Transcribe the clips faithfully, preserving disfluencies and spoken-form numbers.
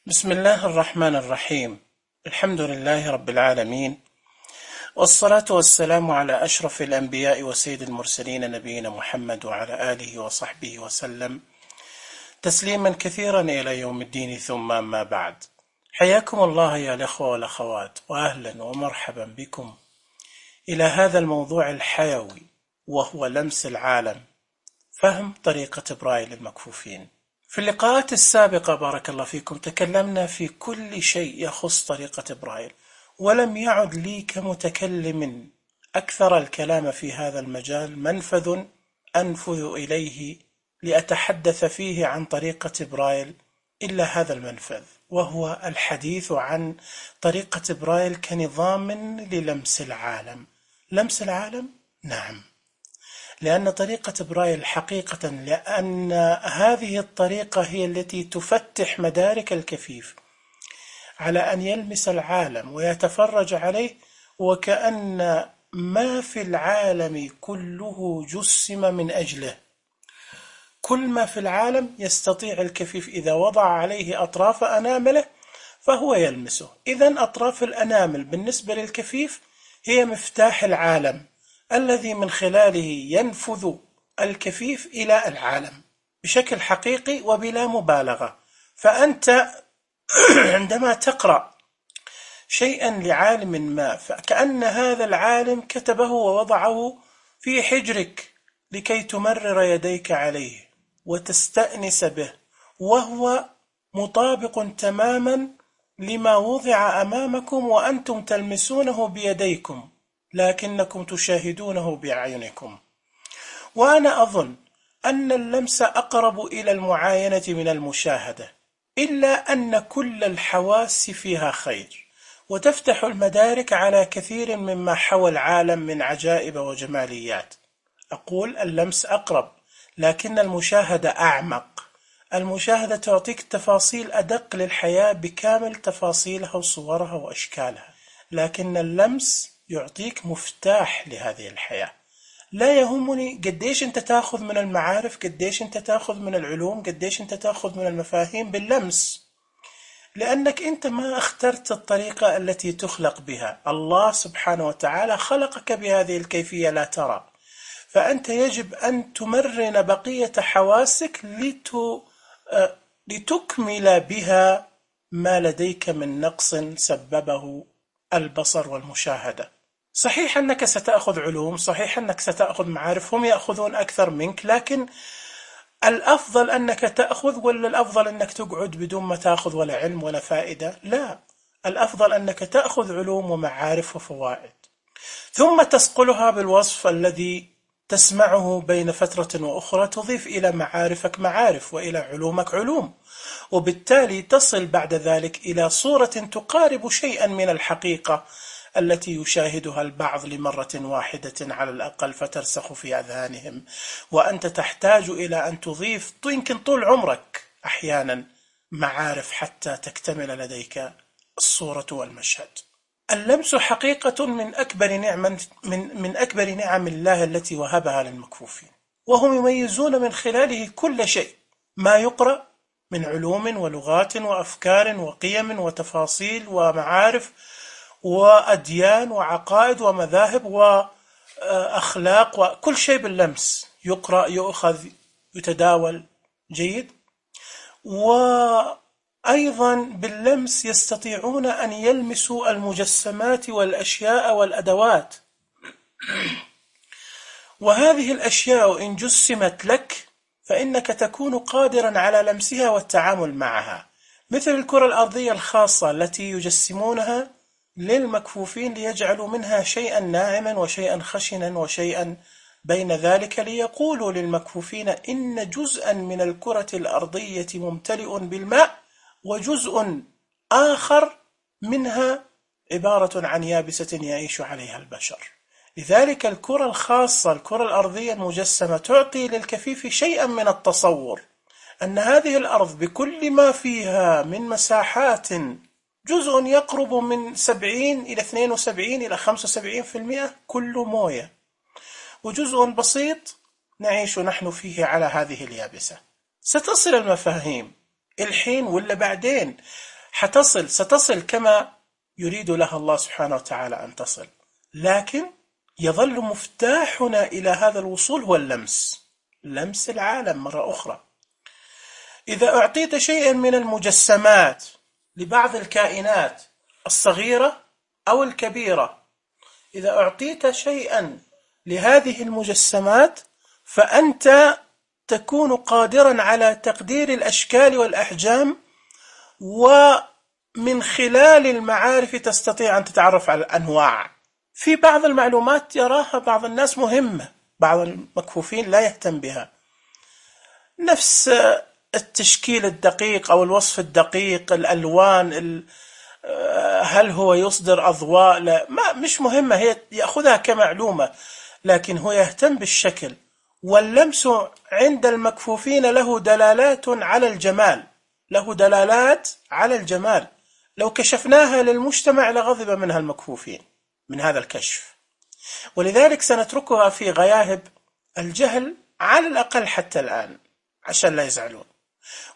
بسم الله الرحمن الرحيم. الحمد لله رب العالمين، والصلاة والسلام على أشرف الأنبياء وسيد المرسلين نبينا محمد وعلى آله وصحبه وسلم تسليما كثيرا إلى يوم الدين، ثم ما بعد. حياكم الله يا الأخوة والأخوات، وأهلا ومرحبا بكم إلى هذا الموضوع الحيوي، وهو لمس العالم، فهم طريقة برايل للمكفوفين. في اللقاءات السابقة بارك الله فيكم تكلمنا في كل شيء يخص طريقة برايل، ولم يعد لي كمتكلم أكثر الكلام في هذا المجال منفذ أنفذ إليه لأتحدث فيه عن طريقة برايل إلا هذا المنفذ، وهو الحديث عن طريقة برايل كنظام للمس العالم. لمس العالم؟ نعم، لأن طريقة برايل حقيقة، لأن هذه الطريقة هي التي تفتح مدارك الكفيف على أن يلمس العالم ويتفرج عليه، وكأن ما في العالم كله جسم من أجله. كل ما في العالم يستطيع الكفيف إذا وضع عليه أطراف أنامله فهو يلمسه. إذن أطراف الأنامل بالنسبة للكفيف هي مفتاح العالم الذي من خلاله ينفذ الكفيف إلى العالم بشكل حقيقي وبلا مبالغة. فأنت عندما تقرأ شيئا لعالم ما، فكأن هذا العالم كتبه ووضعه في حجرك لكي تمرر يديك عليه وتستأنس به، وهو مطابق تماما لما وضع أمامكم وأنتم تلمسونه بيديكم، لكنكم تشاهدونه بأعينكم. وأنا أظن أن اللمس أقرب إلى المعاينة من المشاهدة، إلا أن كل الحواس فيها خير، وتفتح المدارك على كثير مما حوى العالم من عجائب وجماليات. أقول اللمس أقرب، لكن المشاهدة أعمق. المشاهدة تعطيك تفاصيل أدق للحياة بكامل تفاصيلها وصورها وأشكالها، لكن اللمس يعطيك مفتاح لهذه الحياة. لا يهمني قديش انت تاخذ من المعارف، قديش انت تاخذ من العلوم، قديش انت تاخذ من المفاهيم باللمس، لأنك انت ما اخترت الطريقة التي تخلق بها. الله سبحانه وتعالى خلقك بهذه الكيفية لا ترى، فأنت يجب أن تمرن بقية حواسك لت... لتكمل بها ما لديك من نقص سببه البصر والمشاهدة. صحيح أنك ستأخذ علوم، صحيح أنك ستأخذ معارف، هم يأخذون أكثر منك، لكن الأفضل أنك تأخذ ولا الأفضل أنك تقعد بدون ما تأخذ ولا علم ولا فائدة؟ لا، الأفضل أنك تأخذ علوم ومعارف وفوائد، ثم تسقلها بالوصف الذي تسمعه بين فترة وأخرى، تضيف إلى معارفك معارف وإلى علومك علوم، وبالتالي تصل بعد ذلك إلى صورة تقارب شيئا من الحقيقة التي يشاهدها البعض لمرة واحدة على الأقل فترسخ في أذهانهم، وأنت تحتاج إلى أن تضيف يمكن طول عمرك أحيانا معارف حتى تكتمل لديك الصورة والمشهد. اللمس حقيقة من أكبر نعم من من أكبر نعم الله التي وهبها للمكفوفين، وهم يميزون من خلاله كل شيء ما يقرأ من علوم ولغات وأفكار وقيم وتفاصيل ومعارف وأديان وعقائد ومذاهب وأخلاق، وكل شيء باللمس يقرأ يؤخذ يتداول جيد. وأيضا باللمس يستطيعون أن يلمسوا المجسمات والأشياء والأدوات، وهذه الأشياء إن جسمت لك فإنك تكون قادرا على لمسها والتعامل معها، مثل الكرة الأرضية الخاصة التي يجسمونها للمكفوفين ليجعلوا منها شيئا ناعما وشيئا خشنا وشيئا بين ذلك، ليقولوا للمكفوفين إن جزءا من الكرة الأرضية ممتلئ بالماء وجزء آخر منها عبارة عن يابسة يعيش عليها البشر. لذلك الكرة الخاصة الكرة الأرضية المجسمة تعطي للكفيف شيئا من التصور أن هذه الأرض بكل ما فيها من مساحات جزء يقرب من سبعين إلى اثنين وسبعين إلى خمسة وسبعين في المئة كله موية، وجزء بسيط نعيش نحن فيه على هذه اليابسة. ستصل المفاهيم الحين ولا بعدين. حتصل ستصل كما يريد لها الله سبحانه وتعالى أن تصل، لكن يظل مفتاحنا إلى هذا الوصول هو اللمس، لمس العالم مرة أخرى. إذا أعطيت شيئا من المجسمات لبعض الكائنات الصغيرة أو الكبيرة، إذا أعطيت شيئا لهذه المجسمات فأنت تكون قادرا على تقدير الأشكال والأحجام، ومن خلال المعارف تستطيع أن تتعرف على الأنواع. في بعض المعلومات يراها بعض الناس مهمة، بعض المكفوفين لا يهتم بها، نفس التشكيل الدقيق أو الوصف الدقيق، الألوان، هل هو يصدر أضواء، لا ما مش مهمة، هي يأخذها كمعلومة، لكن هو يهتم بالشكل. واللمس عند المكفوفين له دلالات على الجمال، له دلالات على الجمال، لو كشفناها للمجتمع لغضب منها المكفوفين من هذا الكشف، ولذلك سنتركها في غياهب الجهل على الأقل حتى الآن عشان لا يزعلون،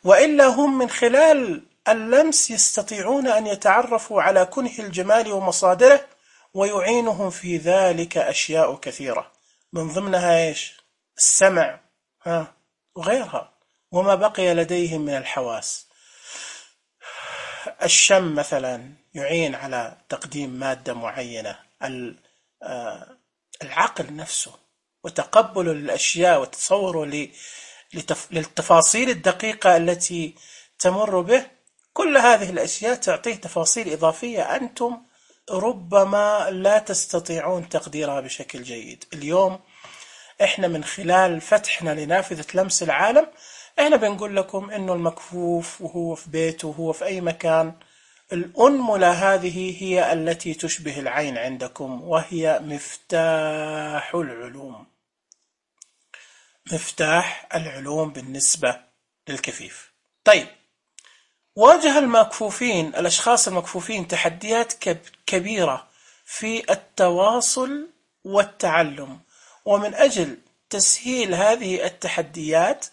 وإلا هم من خلال اللمس يستطيعون أن يتعرفوا على كنه الجمال ومصادره، ويعينهم في ذلك أشياء كثيرة، من ضمنها إيش؟ السمع ها وغيرها، وما بقي لديهم من الحواس. الشم مثلا يعين على تقديم مادة معينة، العقل نفسه وتقبله للأشياء وتصوره للتفاصيل الدقيقة التي تمر به، كل هذه الأشياء تعطيه تفاصيل إضافية أنتم ربما لا تستطيعون تقديرها بشكل جيد. اليوم إحنا من خلال فتحنا لنافذة لمس العالم إحنا بنقول لكم إنه المكفوف وهو في بيته وهو في أي مكان، الأنملة هذه هي التي تشبه العين عندكم، وهي مفتاح العلوم، مفتاح العلوم بالنسبة للكفيف. طيب، واجه المكفوفين الأشخاص المكفوفين تحديات كبيرة في التواصل والتعلم، ومن أجل تسهيل هذه التحديات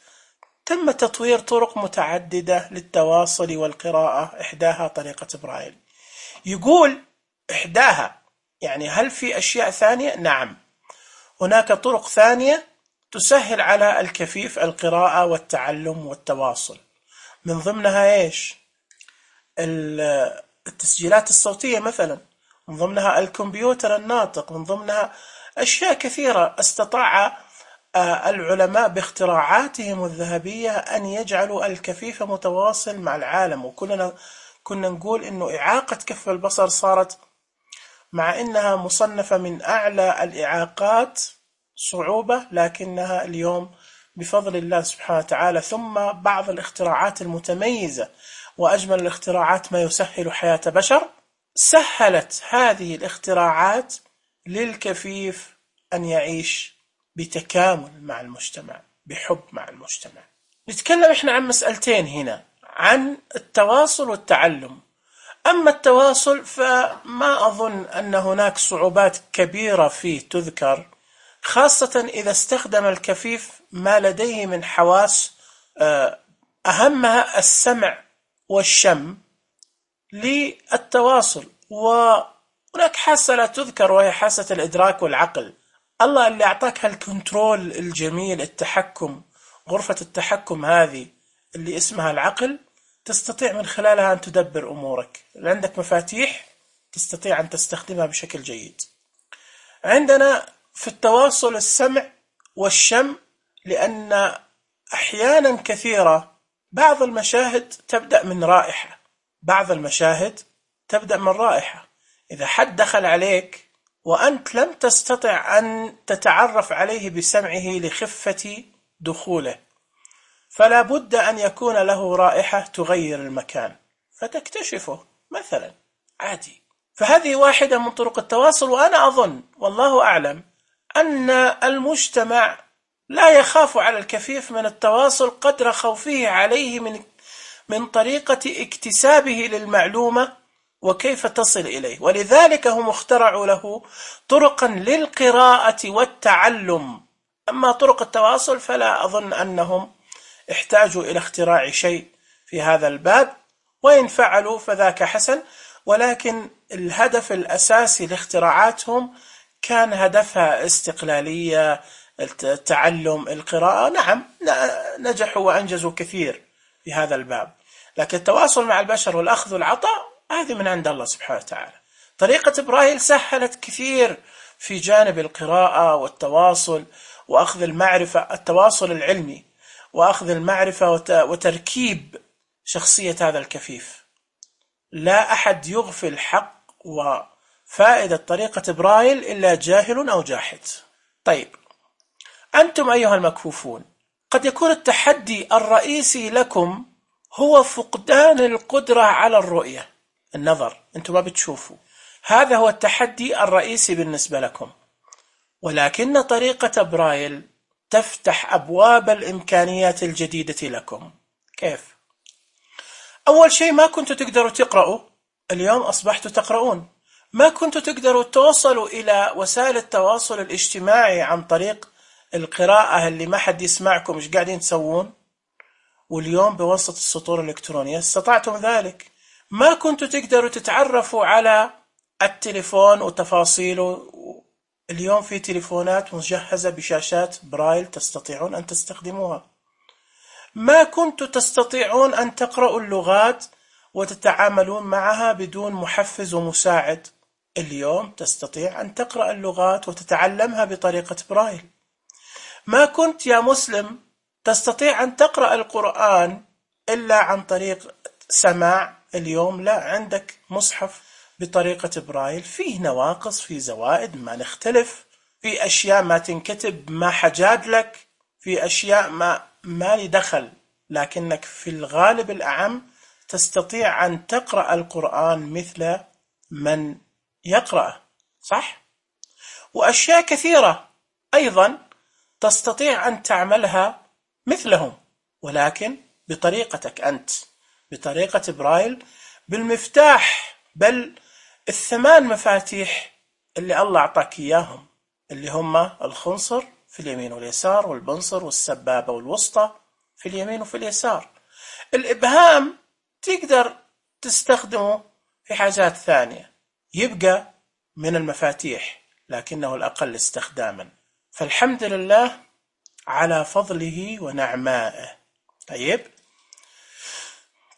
تم تطوير طرق متعددة للتواصل والقراءة، إحداها طريقة برايل. يقول إحداها، يعني هل في أشياء ثانية؟ نعم، هناك طرق ثانية تسهل على الكفيف القراءة والتعلم والتواصل، من ضمنها إيش؟ التسجيلات الصوتية مثلا، من ضمنها الكمبيوتر الناطق، من ضمنها أشياء كثيرة استطاع العلماء باختراعاتهم الذهبية أن يجعلوا الكفيف متواصل مع العالم. وكلنا كنا نقول إنه إعاقة كف البصر صارت مع إنها مصنفة من أعلى الإعاقات صعوبة، لكنها اليوم بفضل الله سبحانه وتعالى ثم بعض الاختراعات المتميزة وأجمل الاختراعات ما يسهل حياة بشر، سهلت هذه الاختراعات للكفيف أن يعيش بتكامل مع المجتمع، بحب مع المجتمع. نتكلم إحنا عن مسألتين هنا، عن التواصل والتعلم. أما التواصل فما أظن أن هناك صعوبات كبيرة فيه تذكر، خاصة إذا استخدم الكفيف ما لديه من حواس، أهمها السمع والشم للتواصل. وهناك حاسة لا تذكر وهي حاسة الإدراك والعقل. الله اللي أعطاك هالكنترول الجميل، التحكم، غرفة التحكم هذه اللي اسمها العقل، تستطيع من خلالها أن تدبر أمورك. عندك مفاتيح تستطيع أن تستخدمها بشكل جيد. عندنا في التواصل السمع والشم، لأن أحيانا كثيرة بعض المشاهد تبدأ من رائحة، بعض المشاهد تبدأ من رائحة. إذا حد دخل عليك وأنت لم تستطع أن تتعرف عليه بسمعه لخفة دخوله، فلا بد أن يكون له رائحة تغير المكان فتكتشفه مثلا عادي. فهذه واحدة من طرق التواصل. وأنا أظن والله أعلم أن المجتمع لا يخاف على الكفيف من التواصل قدر خوفه عليه من من طريقة اكتسابه للمعلومة وكيف تصل إليه، ولذلك هم اخترعوا له طرقا للقراءة والتعلم. أما طرق التواصل فلا أظن أنهم احتاجوا إلى اختراع شيء في هذا الباب، وإن فعلوا فذاك حسن، ولكن الهدف الأساسي لاختراعاتهم كان هدفها استقلالية، التعلم، القراءة. نعم نجحوا وأنجزوا كثير في هذا الباب، لكن التواصل مع البشر والأخذ والعطاء هذه من عند الله سبحانه وتعالى. طريقة برايل سهلت كثير في جانب القراءة والتواصل وأخذ المعرفة، التواصل العلمي وأخذ المعرفة وتركيب شخصية هذا الكفيف. لا أحد يغفل حق وفائدة طريقة برايل إلا جاهل أو جاحد. طيب، أنتم أيها المكفوفون قد يكون التحدي الرئيسي لكم هو فقدان القدرة على الرؤية، النظر، أنتم ما بتشوفوا. هذا هو التحدي الرئيسي بالنسبة لكم، ولكن طريقة برايل تفتح أبواب الإمكانيات الجديدة لكم. كيف؟ أول شيء، ما كنتوا تقدروا تقرأوا، اليوم أصبحتوا تقرؤون. ما كنتوا تقدروا توصلوا إلى وسائل التواصل الاجتماعي عن طريق القراءة اللي ما حد يسمعكم إيش قاعدين تسوون، واليوم بواسطة السطور الإلكترونية استطعتم ذلك. ما كنتوا تقدروا تتعرفوا على التليفون وتفاصيله، اليوم في تليفونات مجهزة بشاشات برايل تستطيعون أن تستخدموها. ما كنتوا تستطيعون أن تقرأوا اللغات وتتعاملون معها بدون محفز ومساعد، اليوم تستطيع أن تقرأ اللغات وتتعلمها بطريقة برايل. ما كنت يا مسلم تستطيع أن تقرأ القرآن إلا عن طريق سماع، اليوم لا، عندك مصحف بطريقة برايل، فيه نواقص، فيه زوائد، ما نختلف، في أشياء ما تنكتب ما حجاد لك، في أشياء ما ما لي دخل، لكنك في الغالب الأعم تستطيع أن تقرأ القرآن مثل من يقرأ، صح؟ وأشياء كثيرة أيضا تستطيع أن تعملها مثلهم، ولكن بطريقتك أنت، بطريقة برايل، بالمفتاح، بل الثمان مفاتيح اللي الله أعطاك إياهم، اللي هم الخنصر في اليمين واليسار، والبنصر والسبابة والوسطى في اليمين وفي اليسار. الإبهام تقدر تستخدمه في حاجات ثانية، يبقى من المفاتيح لكنه الأقل استخداما، فالحمد لله على فضله ونعمائه. طيب،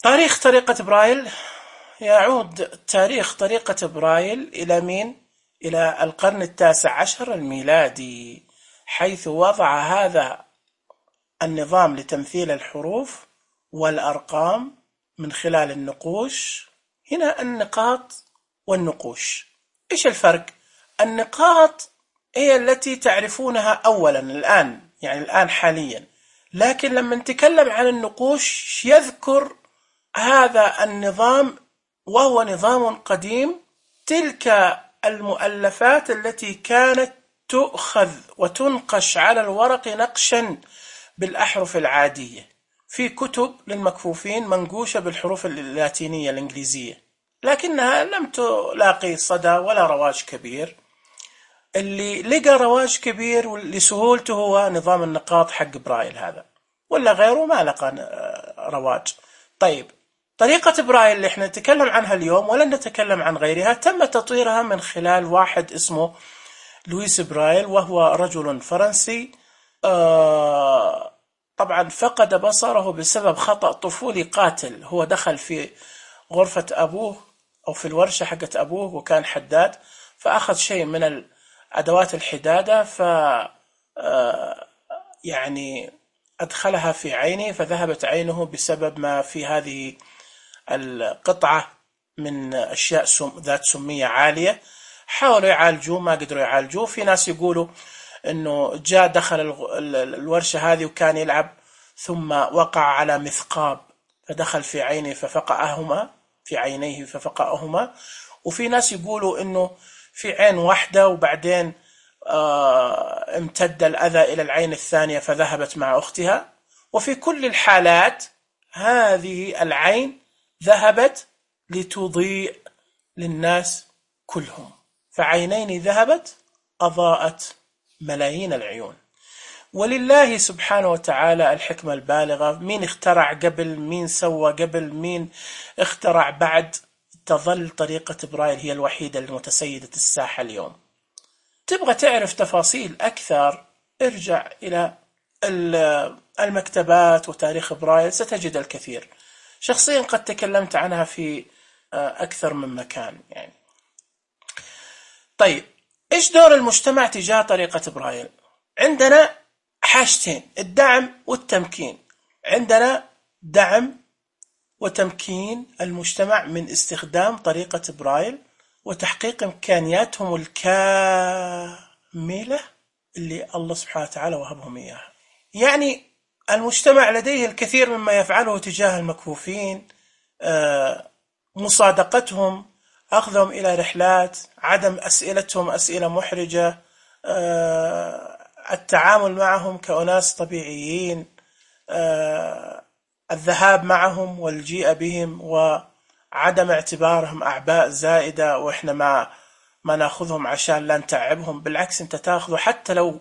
تاريخ طريقة برايل، يعود تاريخ طريقة برايل إلى مين؟ إلى القرن التاسع عشر الميلادي، حيث وضع هذا النظام لتمثيل الحروف والأرقام من خلال النقوش. هنا النقاط والنقوش، إيش الفرق؟ النقاط هي التي تعرفونها أولا الآن، يعني الآن حاليا، لكن لما نتكلم عن النقوش يذكر هذا النظام وهو نظام قديم، تلك المؤلفات التي كانت تؤخذ وتنقش على الورق نقشا بالأحرف العادية، في كتب للمكفوفين منقوشة بالحروف اللاتينية الإنجليزية، لكنها لم تلاقي صدى ولا رواج كبير. اللي لقى رواج كبير لسهولته هو نظام النقاط حق برايل هذا، ولا غيره ما لقى رواج. طيب، طريقة برايل اللي احنا نتكلم عنها اليوم ولن نتكلم عن غيرها، تم تطويرها من خلال واحد اسمه لويس برايل، وهو رجل فرنسي آه طبعا فقد بصره بسبب خطأ طفولي قاتل. هو دخل في غرفة أبوه أو في الورشة حقت أبوه وكان حداد، فأخذ شيء من أدوات الحدادة ف يعني أدخلها في عينه فذهبت عينه بسبب ما في هذه القطعة من أشياء سم ذات سمية عالية. حاولوا يعالجوه ما قدروا يعالجوه. في ناس يقولوا أنه جاء دخل الورشة هذه وكان يلعب ثم وقع على مثقاب فدخل في عينه ففقأهما في عينيه ففقأهما. وفي ناس يقولوا أنه في عين واحدة وبعدين آه امتد الأذى إلى العين الثانية فذهبت مع أختها. وفي كل الحالات هذه العين ذهبت لتضيء للناس كلهم، فعينين ذهبت أضاءت ملايين العيون. ولله سبحانه وتعالى الحكمة البالغة. مين اخترع قبل، مين سوى قبل، مين اخترع بعد، تظل طريقة برايل هي الوحيدة المتسيدة الساحة اليوم. تبغى تعرف تفاصيل أكثر ارجع إلى المكتبات وتاريخ برايل ستجد الكثير. شخصيا قد تكلمت عنها في أكثر من مكان يعني. طيب، إيش دور المجتمع تجاه طريقة برايل؟ عندنا حاجتين، الدعم والتمكين. عندنا دعم وتمكين المجتمع من استخدام طريقة برايل وتحقيق إمكانياتهم الكاملة اللي الله سبحانه وتعالى وهبهم إياها. يعني المجتمع لديه الكثير مما يفعله تجاه المكفوفين، مصادقتهم، أخذهم إلى رحلات، عدم أسئلتهم أسئلة محرجة، التعامل معهم كأناس طبيعيين، الذهاب معهم والجيء بهم، وعدم اعتبارهم أعباء زائدة وإحنا ما ما نأخذهم عشان لا نتعبهم. بالعكس، أنت تأخذه حتى لو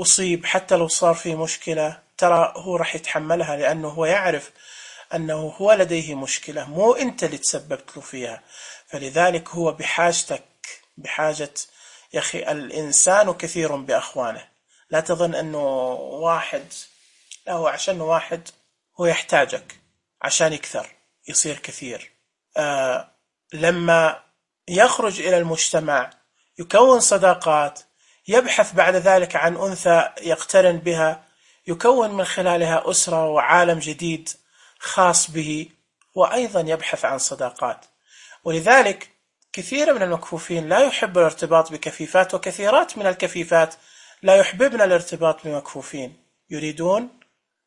أصيب، حتى لو صار في مشكلة، ترى هو راح يتحملها لأنه هو يعرف أنه هو لديه مشكلة، مو أنت اللي تسببت له فيها. فلذلك هو بحاجتك، بحاجة يا أخي. الإنسان كثير بأخوانه. لا تظن أنه واحد، لا، هو عشان واحد هو يحتاجك عشان يكثر، يصير كثير. آه لما يخرج إلى المجتمع يكون صداقات، يبحث بعد ذلك عن أنثى يقترن بها، يكون من خلالها أسرة وعالم جديد خاص به، وأيضا يبحث عن صداقات. ولذلك كثير من المكفوفين لا يحب الارتباط بكفيفات، وكثيرات من الكفيفات لا يحببن الارتباط بمكفوفين. يريدون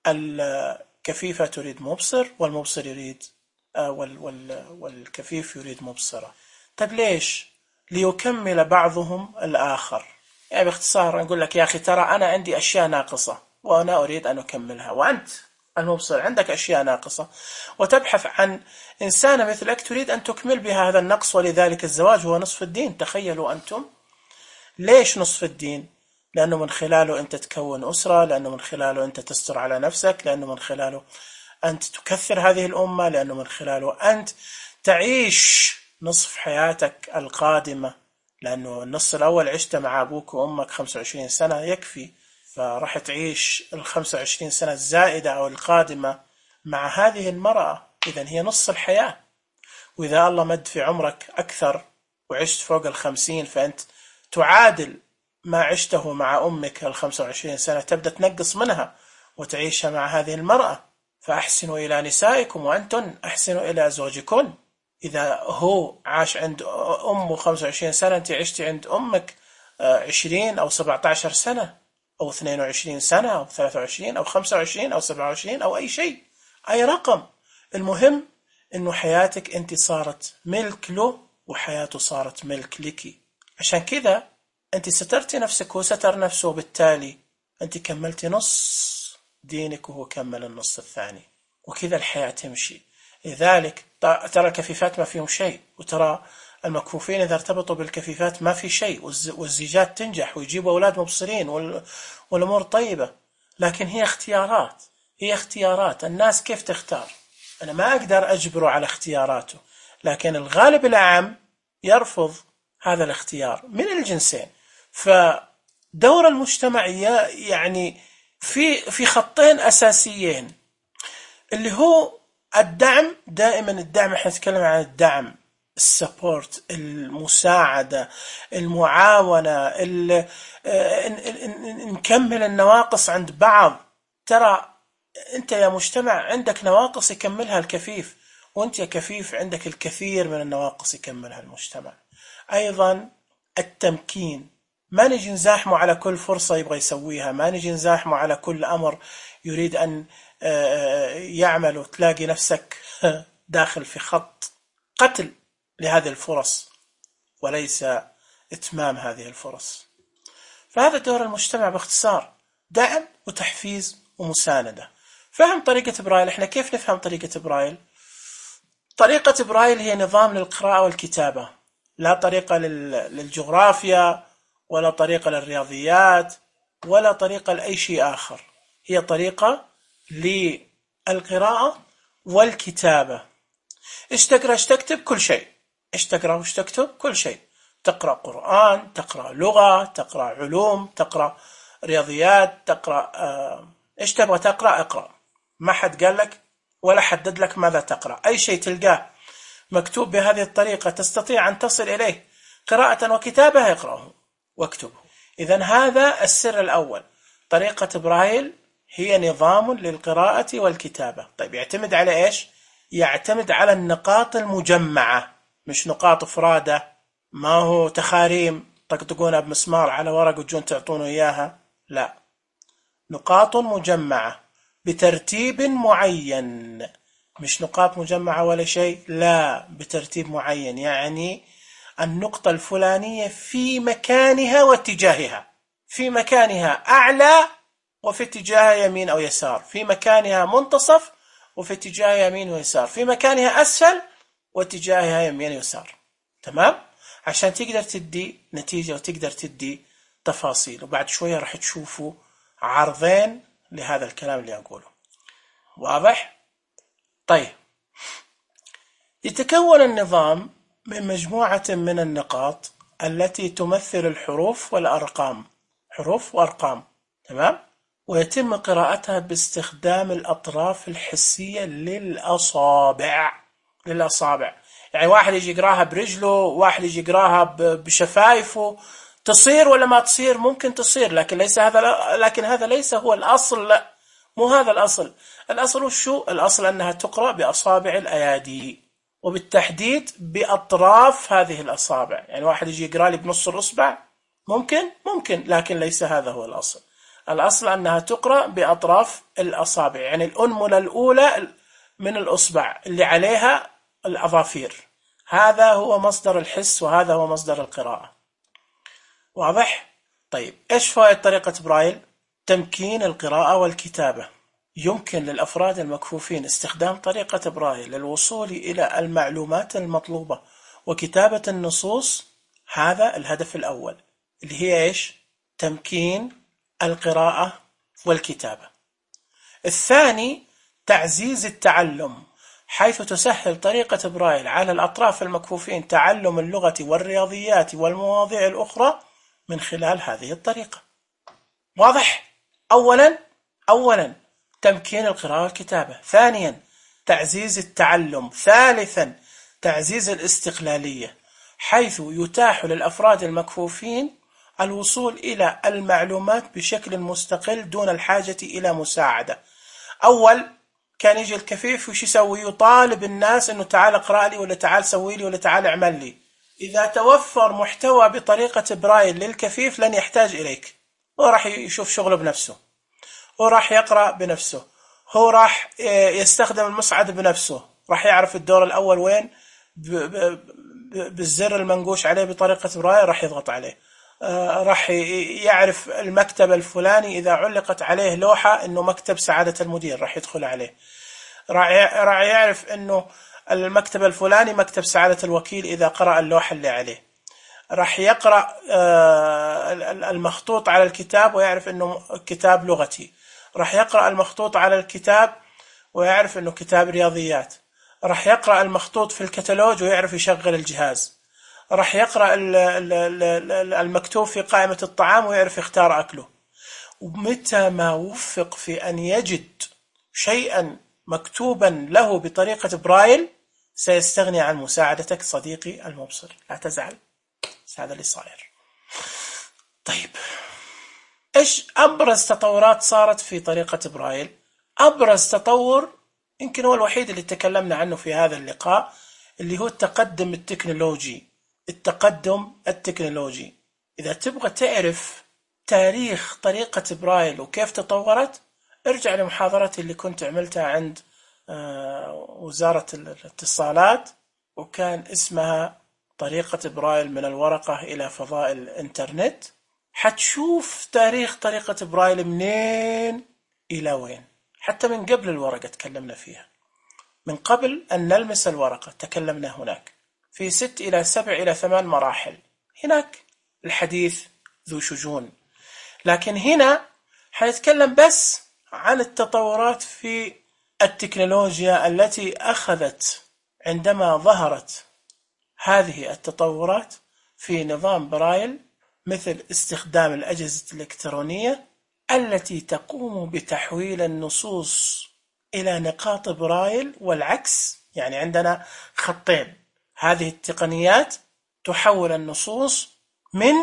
الكفيفة تريد مبصر، والمبصر يريد وال وال والكفيف يريد مبصرة. طيب ليش؟ ليكمل بعضهم الآخر. يعني باختصار نقول لك يا أخي ترى أنا عندي أشياء ناقصة وأنا أريد أن أكملها، وأنت المبصر عندك أشياء ناقصة وتبحث عن إنسانة مثلك تريد أن تكمل بها هذا النقص. ولذلك الزواج هو نصف الدين. تخيلوا أنتم. ليش نصف الدين؟ لأنه من خلاله أنت تكون أسرة، لأنه من خلاله أنت تستر على نفسك، لأنه من خلاله أنت تكثر هذه الأمة، لأنه من خلاله أنت تعيش نصف حياتك القادمة. لأنه النص الأول عشت مع أبوك وأمك خمسة وعشرين سنة يكفي، فرح تعيش الخمسة وعشرين سنة الزائدة أو القادمة مع هذه المرأة. إذن هي نص الحياة. وإذا الله مد في عمرك أكثر وعشت فوق الخمسين، فأنت تعادل ما عشته مع أمك الخمسة وعشرين سنة، تبدأ تنقص منها وتعيشها مع هذه المرأة. فأحسنوا إلى نسائكم وأنتم أحسنوا إلى زوجكم. إذا هو عاش عند أمه خمسة وعشرين سنة، أنت عشتي عند أمك عشرين أو سبعة عشر سنة أو اثنين وعشرين سنة أو ثلاثة وعشرين أو خمسة وعشرين أو سبعة وعشرين أو أي شيء، أي رقم. المهم إنه حياتك أنت صارت ملك له وحياته صارت ملك لك. عشان كذا أنت سترتي نفسك وستر نفسه، وبالتالي أنت كملتي نص دينك وهو كمل النص الثاني، وكذا الحياة تمشي. لذلك ترى الكفيفات ما فيهم شيء، وترى المكفوفين إذا ارتبطوا بالكفيفات ما في شيء، والزيجات تنجح ويجيبوا أولاد مبصرين والأمور طيبة. لكن هي اختيارات، هي اختيارات. الناس كيف تختار؟ أنا ما أقدر أجبره على اختياراته، لكن الغالب العام يرفض هذا الاختيار من الجنسين. فدور المجتمع يعني في في خطين أساسيين، اللي هو الدعم. دائما الدعم، احنا نتكلم عن الدعم، السبورت، المساعدة، المعاونة، نكمل النواقص عند بعض. ترى أنت يا مجتمع عندك نواقص يكملها الكفيف، وأنت يا كفيف عندك الكثير من النواقص يكملها المجتمع. أيضا التمكين، ما نجي نزاحمه على كل فرصة يبغى يسويها، ما نجي نزاحمه على كل أمر يريد أن يعمل، وتلاقي نفسك داخل في خط قتل لهذه الفرص وليس إتمام هذه الفرص. فهذا دور المجتمع باختصار، دعم وتحفيز ومساندة. فهم طريقة برايل. احنا كيف نفهم طريقة برايل؟ طريقة برايل هي نظام للقراءة والكتابة، لا طريقة للجغرافيا ولا طريقة للرياضيات ولا طريقة لأي شيء آخر، هي طريقة للقراءة والكتابة. إيش تقرأ إيش تكتب؟ كل شيء. إيش تقرأ وإيش تكتب؟ كل شيء. تقرأ قرآن، تقرأ لغة، تقرأ علوم، تقرأ رياضيات، تقرأ آه إيش تبغى تقرأ اقرأ. ما حد قال لك ولا حدد لك ماذا تقرأ. أي شيء تلقاه مكتوب بهذه الطريقة تستطيع أن تصل إليه قراءة وكتابة اقرأه واكتبه. إذن هذا السر الأول. طريقة برايل هي نظام للقراءة والكتابة. طيب يعتمد على إيش؟ يعتمد على النقاط المجمعة، مش نقاط فرادة، ما هو تخاريم تقطقونها بمسمار على ورق وتجون تعطونه إياها، لا، نقاط مجمعة بترتيب معين، مش نقاط مجمعة ولا شيء، لا، بترتيب معين. يعني النقطة الفلانية في مكانها واتجاهها، في مكانها أعلى وفي اتجاه يمين أو يسار، في مكانها منتصف وفي اتجاه يمين ويسار، في مكانها أسفل واتجاهها يمين ويسار. تمام؟ عشان تقدر تدي نتيجة وتقدر تدي تفاصيل. وبعد شوية راح تشوفوا عرضين لهذا الكلام اللي أقوله. واضح؟ طيب، يتكون النظام من مجموعة من النقاط التي تمثل الحروف والأرقام، حروف وأرقام. تمام؟ ويتم قراءتها باستخدام الأطراف الحسية للأصابع. للأصابع يعني واحد يجي يقراها برجله، واحد يجي يقراها بشفايفه. تصير ولا ما تصير؟ ممكن تصير، لكن ليس هذا لكن هذا ليس هو الأصل. لا، مو هذا الأصل. الأصل وشو؟ الأصل أنها تقرأ بأصابع الأيادي، وبالتحديد بأطراف هذه الأصابع. يعني واحد يجي يقرأ لي بنص الأصبع، ممكن ممكن لكن ليس هذا هو الأصل. الأصل أنها تقرأ بأطراف الأصابع، يعني الأنملة الأولى من الأصبع اللي عليها الأظافير. هذا هو مصدر الحس وهذا هو مصدر القراءة. واضح؟ طيب، إيش فوائد طريقة برايل؟ تمكين القراءة والكتابة. يمكن للأفراد المكفوفين استخدام طريقة برايل للوصول إلى المعلومات المطلوبة وكتابة النصوص. هذا الهدف الأول اللي هي إيش؟ تمكين القراءة والكتابة. الثاني تعزيز التعلم، حيث تسهل طريقة برايل على الأطراف المكفوفين تعلم اللغة والرياضيات والمواضيع الأخرى من خلال هذه الطريقة. واضح؟ أولا أولا تمكين القراءة والكتابة. ثانيا تعزيز التعلم. ثالثا تعزيز الاستقلالية، حيث يتاح للأفراد المكفوفين الوصول إلى المعلومات بشكل مستقل دون الحاجة إلى مساعدة. أول كان يجي الكفيف وش يسوي؟ يطالب الناس أنه تعال اقرأ لي، ولا تعال سوي لي، ولا تعال اعمل لي. إذا توفر محتوى بطريقة برايل للكفيف لن يحتاج إليك، هو راح يشوف شغله بنفسه، هو راح يقرأ بنفسه، هو راح يستخدم المصعد بنفسه، راح يعرف الدور الأول وين بالزر المنقوش عليه بطريقة برايل راح يضغط عليه، راح يعرف المكتب الفلاني إذا علقت عليه لوحة إنه مكتب سعادة المدير راح يدخل عليه، راح يعرف إنه المكتب الفلاني مكتب سعادة الوكيل إذا قرأ اللوحة اللي عليه، راح يقرأ المخطوط على الكتاب ويعرف إنه كتاب لغتي، راح يقرأ المخطوط على الكتاب ويعرف إنه كتاب رياضيات، راح يقرأ المخطوط في الكتالوج ويعرف يشغل الجهاز، راح يقرأ المكتوب في قائمة الطعام ويعرف يختار أكله. ومتى ما وفق في أن يجد شيئا مكتوبا له بطريقة برايل سيستغني عن مساعدتك صديقي المبصر، لا تزعل، هذا اللي صاير. طيب، إيش أبرز تطورات صارت في طريقة برايل؟ أبرز تطور يمكن هو الوحيد اللي تكلمنا عنه في هذا اللقاء، اللي هو التقدم التكنولوجي. التقدم التكنولوجي، إذا تبغى تعرف تاريخ طريقة برايل وكيف تطورت، ارجع لمحاضرتي اللي كنت عملتها عند وزارة الاتصالات، وكان اسمها طريقة برايل من الورقة إلى فضاء الإنترنت. حتشوف تاريخ طريقة برايل منين إلى وين، حتى من قبل الورقة تكلمنا فيها، من قبل أن نلمس الورقة تكلمنا هناك في ست إلى سبع إلى ثمان مراحل. هناك الحديث ذو شجون، لكن هنا حنتكلم بس عن التطورات في التكنولوجيا التي أخذت عندما ظهرت هذه التطورات في نظام برايل، مثل استخدام الأجهزة الإلكترونية التي تقوم بتحويل النصوص إلى نقاط برايل والعكس. يعني عندنا خطين، هذه التقنيات تحول النصوص من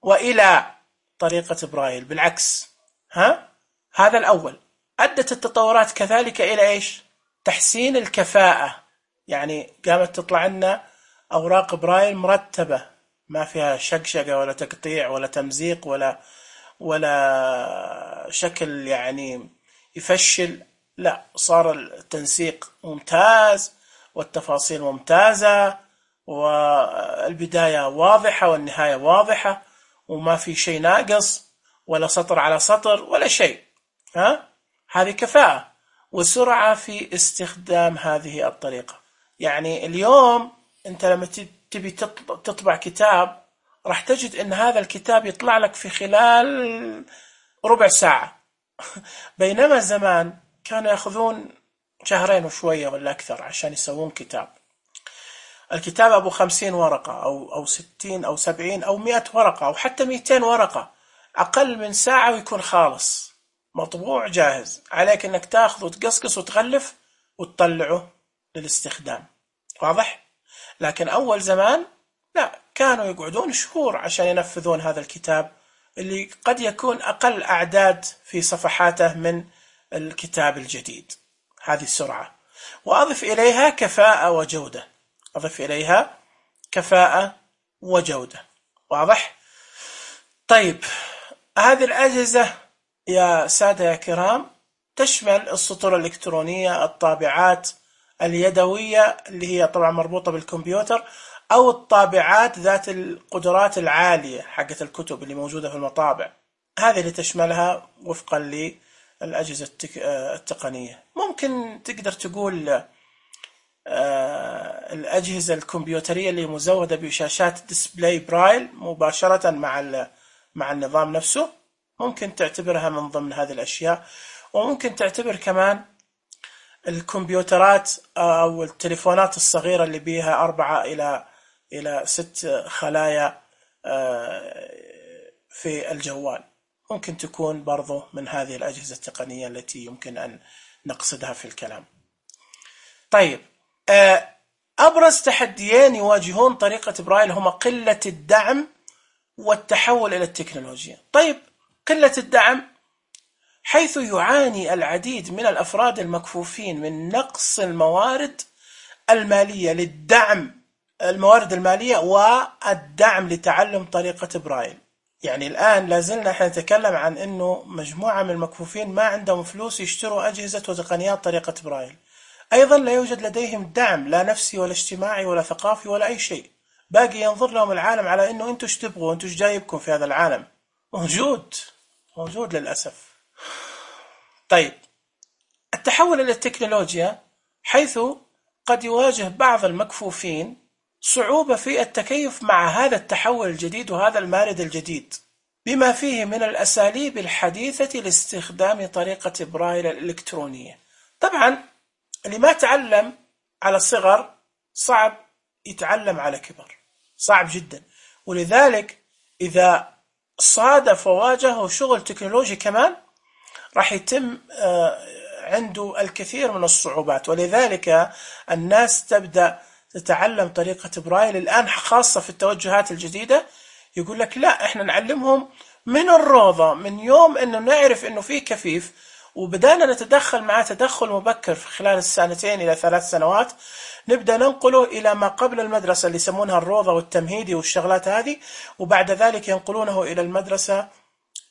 وإلى طريقة برايل بالعكس. ها؟ هذا الأول. أدت التطورات كذلك إلى إيش؟ تحسين الكفاءة، يعني قامت تطلع لنا أوراق برايل مرتبة ما فيها شقشقة ولا تقطيع ولا تمزيق ولا ولا شكل يعني يفشل، لا، صار التنسيق ممتاز والتفاصيل ممتازة والبداية واضحة والنهاية واضحة وما في شيء ناقص ولا سطر على سطر ولا شيء. ها؟ هذه كفاءة وسرعة في استخدام هذه الطريقة. يعني اليوم أنت لما تبي تطبع كتاب راح تجد أن هذا الكتاب يطلع لك في خلال ربع ساعة بينما زمان كانوا يأخذون شهرين وشوية ولا أكثر عشان يسوون كتاب. الكتاب أبو خمسين ورقة أو أو ستين أو سبعين أو مئة ورقة أو حتى مئتين ورقة، أقل من ساعة ويكون خالص مطبوع جاهز، عليك أنك تأخذ وتقصقص وتغلف وتطلعه للاستخدام. واضح؟ لكن أول زمان لا، كانوا يقعدون شهور عشان ينفذون هذا الكتاب اللي قد يكون أقل أعداد في صفحاته من الكتاب الجديد. هذه السرعة، وأضف إليها كفاءة وجودة، أضف إليها كفاءة وجودة. واضح؟ طيب، هذه الأجهزة يا سادة يا كرام تشمل السطور الإلكترونية، الطابعات اليدوية اللي هي طبعا مربوطة بالكمبيوتر، أو الطابعات ذات القدرات العالية حقة الكتب اللي موجودة في المطابع، هذه اللي تشملها وفقا للأجهزة التقنية. ممكن تقدر تقول الأجهزة الكمبيوترية اللي مزودة بشاشات ديسبلاي برايل مباشرة مع مع النظام نفسه، ممكن تعتبرها من ضمن هذه الأشياء. وممكن تعتبر كمان الكمبيوترات أو التليفونات الصغيرة اللي بيها أربعة إلى إلى ست خلايا في الجوال، ممكن تكون برضو من هذه الأجهزة التقنية التي يمكن أن نقصدها في الكلام. طيب، أبرز تحديين يواجهون طريقة برايل هما قلة الدعم والتحول إلى التكنولوجيا. طيب، قلة الدعم حيث يعاني العديد من الأفراد المكفوفين من نقص الموارد المالية للدعم، الموارد المالية والدعم لتعلم طريقة برايل. يعني الآن لازلنا احنا نتكلم عن أنه مجموعة من المكفوفين ما عندهم فلوس يشتروا أجهزة وتقنيات طريقة برايل، أيضا لا يوجد لديهم دعم لا نفسي ولا اجتماعي ولا ثقافي ولا أي شيء، باقي ينظر لهم العالم على أنه أنتوا ايش تبغوا، أنتوا ايش جايبكم في هذا العالم. موجود موجود للأسف. طيب، التحول إلى التكنولوجيا حيث قد يواجه بعض المكفوفين صعوبة في التكيف مع هذا التحول الجديد وهذا المارد الجديد، بما فيه من الأساليب الحديثة لاستخدام طريقة برايل الإلكترونية. طبعا اللي ما تعلم على الصغر صعب يتعلم على كبر، صعب جدا، ولذلك إذا صادف وواجهه شغل تكنولوجي كمان راح يتم عنده الكثير من الصعوبات. ولذلك الناس تبدأ تتعلم طريقة برايل الآن، خاصة في التوجهات الجديدة، يقول لك لا، احنا نعلمهم من الروضة، من يوم انه نعرف انه في كفيف وبدأنا نتدخل معه تدخل مبكر في خلال السنتين إلى ثلاث سنوات، نبدأ ننقله إلى ما قبل المدرسة اللي يسمونها الروضة والتمهيدي والشغلات هذه، وبعد ذلك ينقلونه إلى المدرسة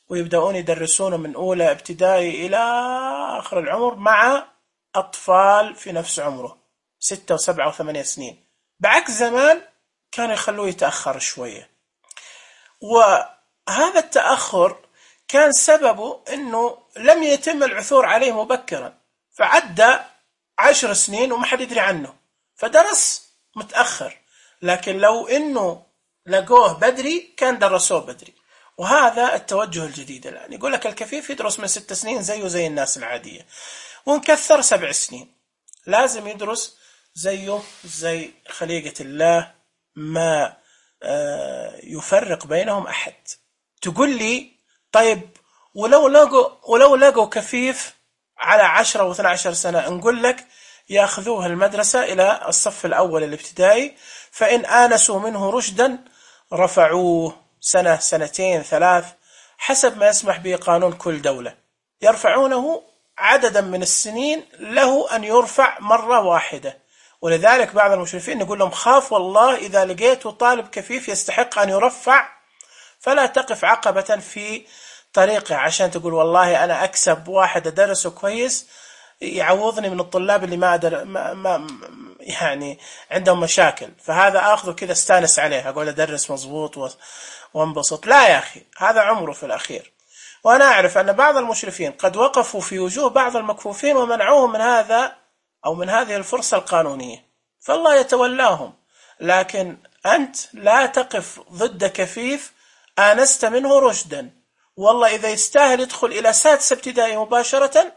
ويبدأون يدرسونه من أولى ابتدائي إلى آخر العمر مع أطفال في نفس عمره ستة وسبعة وثمانية سنين، بعكس زمان كانوا يخلوه يتأخر شوية. وهذا التأخر كان سببه أنه لم يتم العثور عليه مبكرا، فعدى عشر سنين وما حد يدري عنه، فدرس متأخر. لكن لو أنه لقوه بدري كان درسوه بدري. وهذا التوجه الجديد الآن. يقول لك الكفيف يدرس من ست سنين زيه زي الناس العادية، ونكثر سبع سنين، لازم يدرس زيه زي خليقة الله، ما يفرق بينهم أحد. تقول لي طيب ولو لقوا ولو لقوا كفيف على عشرة واثنى عشر سنة، نقول لك يأخذوه المدرسة إلى الصف الأول الابتدائي، فإن آنسوا منه رشدا رفعوه سنة سنتين ثلاث حسب ما يسمح به قانون كل دولة، يرفعونه عددا من السنين له أن يرفع مرة واحدة. ولذلك بعض المشرفين يقول لهم خاف والله إذا لقيتوا طالب كفيف يستحق أن يرفع فلا تقف عقبة في طريقه عشان تقول والله أنا أكسب واحد أدرسه كويس يعوضني من الطلاب اللي ما, أدر... ما... ما يعني عندهم مشاكل، فهذا أخذه كذا استانس عليه، أقول أدرس مضبوط و... وانبسط. لا يا أخي، هذا عمره في الأخير. وأنا أعرف أن بعض المشرفين قد وقفوا في وجوه بعض المكفوفين ومنعوهم من هذا أو من هذه الفرصة القانونية، فالله يتولاهم. لكن أنت لا تقف ضد كفيف آنست منه رشدا، والله إذا يستاهل يدخل إلى سادسة ابتدائي مباشرة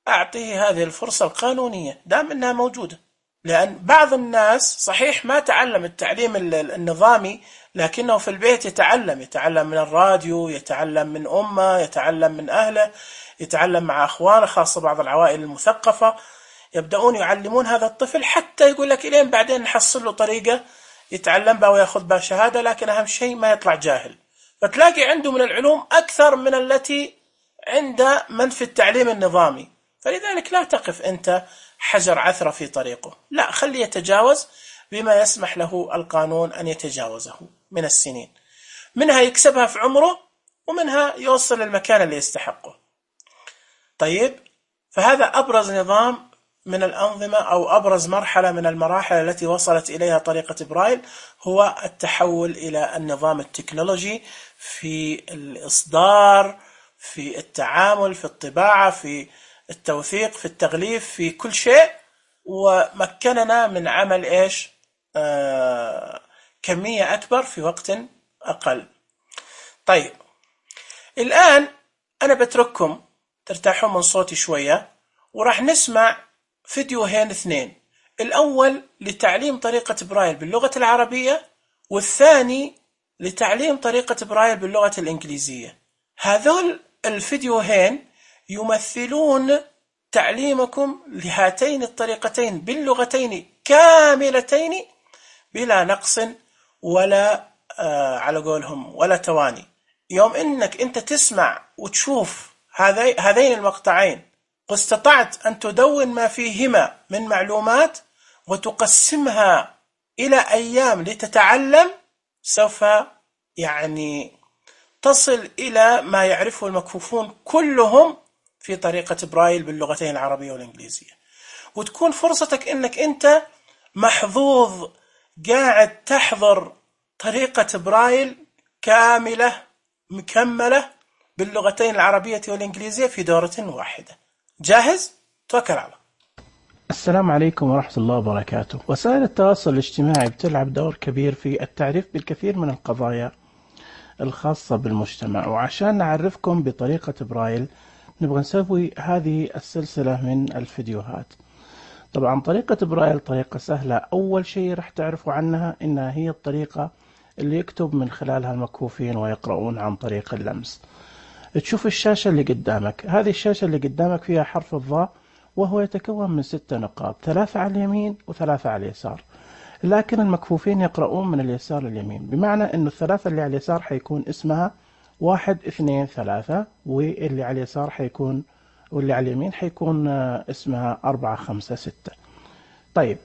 أعطيه هذه الفرصة القانونية دام أنها موجودة. لأن بعض الناس صحيح ما تعلم التعليم النظامي، لكنه في البيت يتعلم يتعلم من الراديو، يتعلم من أمه، يتعلم من أهله، يتعلم مع أخوانه، خاصة بعض العوائل المثقفة يبدأون يعلمون هذا الطفل حتى يقول لك إلين بعدين نحصل له طريقة يتعلم بها ويأخذ بها شهادة، لكن أهم شيء ما يطلع جاهل. فتلاقي عنده من العلوم أكثر من التي عند من في التعليم النظامي، فلذلك لا تقف أنت حجر عثرة في طريقه، لا، خليه يتجاوز بما يسمح له القانون أن يتجاوزه من السنين، منها يكسبها في عمره ومنها يوصل للمكان اللي يستحقه. طيب، فهذا أبرز نظام من الأنظمة أو أبرز مرحلة من المراحل التي وصلت إليها طريقة برايل، هو التحول إلى النظام التكنولوجي في الإصدار، في التعامل، في الطباعة، في التوثيق، في التغليف، في كل شيء، ومكننا من عمل إيش؟ آه كمية أكبر في وقت أقل. طيب، الآن أنا بترككم ترتاحون من صوتي شوية، وراح نسمع فيديوهين اثنين، الأول لتعليم طريقة برايل باللغة العربية، والثاني لتعليم طريقة برايل باللغة الإنجليزية. هذول الفيديوهين يمثلون تعليمكم لهاتين الطريقتين باللغتين كاملتين بلا نقص ولا آه على قولهم ولا تواني. يوم إنك أنت تسمع وتشوف هذين المقطعين واستطعت أن تدون ما فيهما من معلومات وتقسمها إلى أيام لتتعلم، سوف يعني تصل إلى ما يعرفه المكفوفون كلهم في طريقة برايل باللغتين العربية والإنجليزية، وتكون فرصتك إنك أنت محظوظ قاعد تحضر طريقة برايل كاملة مكملة باللغتين العربية والإنجليزية في دورة واحدة. جاهز؟ توكل على الله. السلام عليكم ورحمة الله وبركاته. وسائل التواصل الاجتماعي بتلعب دور كبير في التعريف بالكثير من القضايا الخاصة بالمجتمع، وعشان نعرفكم بطريقة برايل نبغى نسوي هذه السلسلة من الفيديوهات. طبعا طريقة برايل طريقة سهلة. أول شيء رح تعرفوا عنها إنها هي الطريقة اللي يكتب من خلالها المكفوفين ويقرؤون عن طريق اللمس. تشوف الشاشة اللي قدامك، هذه الشاشة اللي قدامك فيها حرف الضاء، وهو يتكون من ستة نقاط، ثلاثة على اليمين وثلاثة على اليسار، لكن المكفوفين يقرؤون من اليسار لليمين، بمعنى أنه الثلاثة اللي على اليسار حيكون اسمها واحد اثنين ثلاثة، واللي على اليسار حيكون واللي على اليمين حيكون اسمها أربعة خمسة ستة. طيب،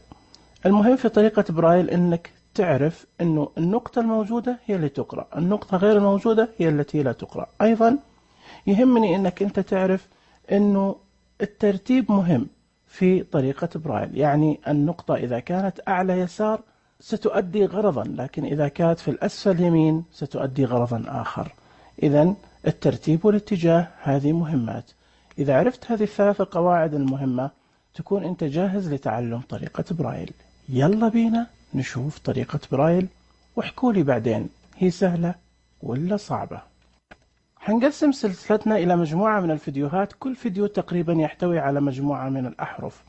المهم في طريقة برايل أنك تعرف أنه النقطة الموجودة هي اللي تقرأ، النقطة غير الموجودة هي التي لا تقرأ. أيضا يهمني أنك أنت تعرف أنه الترتيب مهم في طريقة برايل، يعني النقطة إذا كانت أعلى يسار ستؤدي غرضا، لكن إذا كانت في الأسفل يمين ستؤدي غرضا آخر. إذن الترتيب والاتجاه هذه مهمات. إذا عرفت هذه الثلاث قواعد المهمة تكون أنت جاهز لتعلم طريقة برايل. يلا بينا نشوف طريقة برايل، واحكوا لي بعدين هي سهلة ولا صعبة. هنقسم سلسلتنا إلى مجموعة من الفيديوهات، كل فيديو تقريبا يحتوي على مجموعة من الأحرف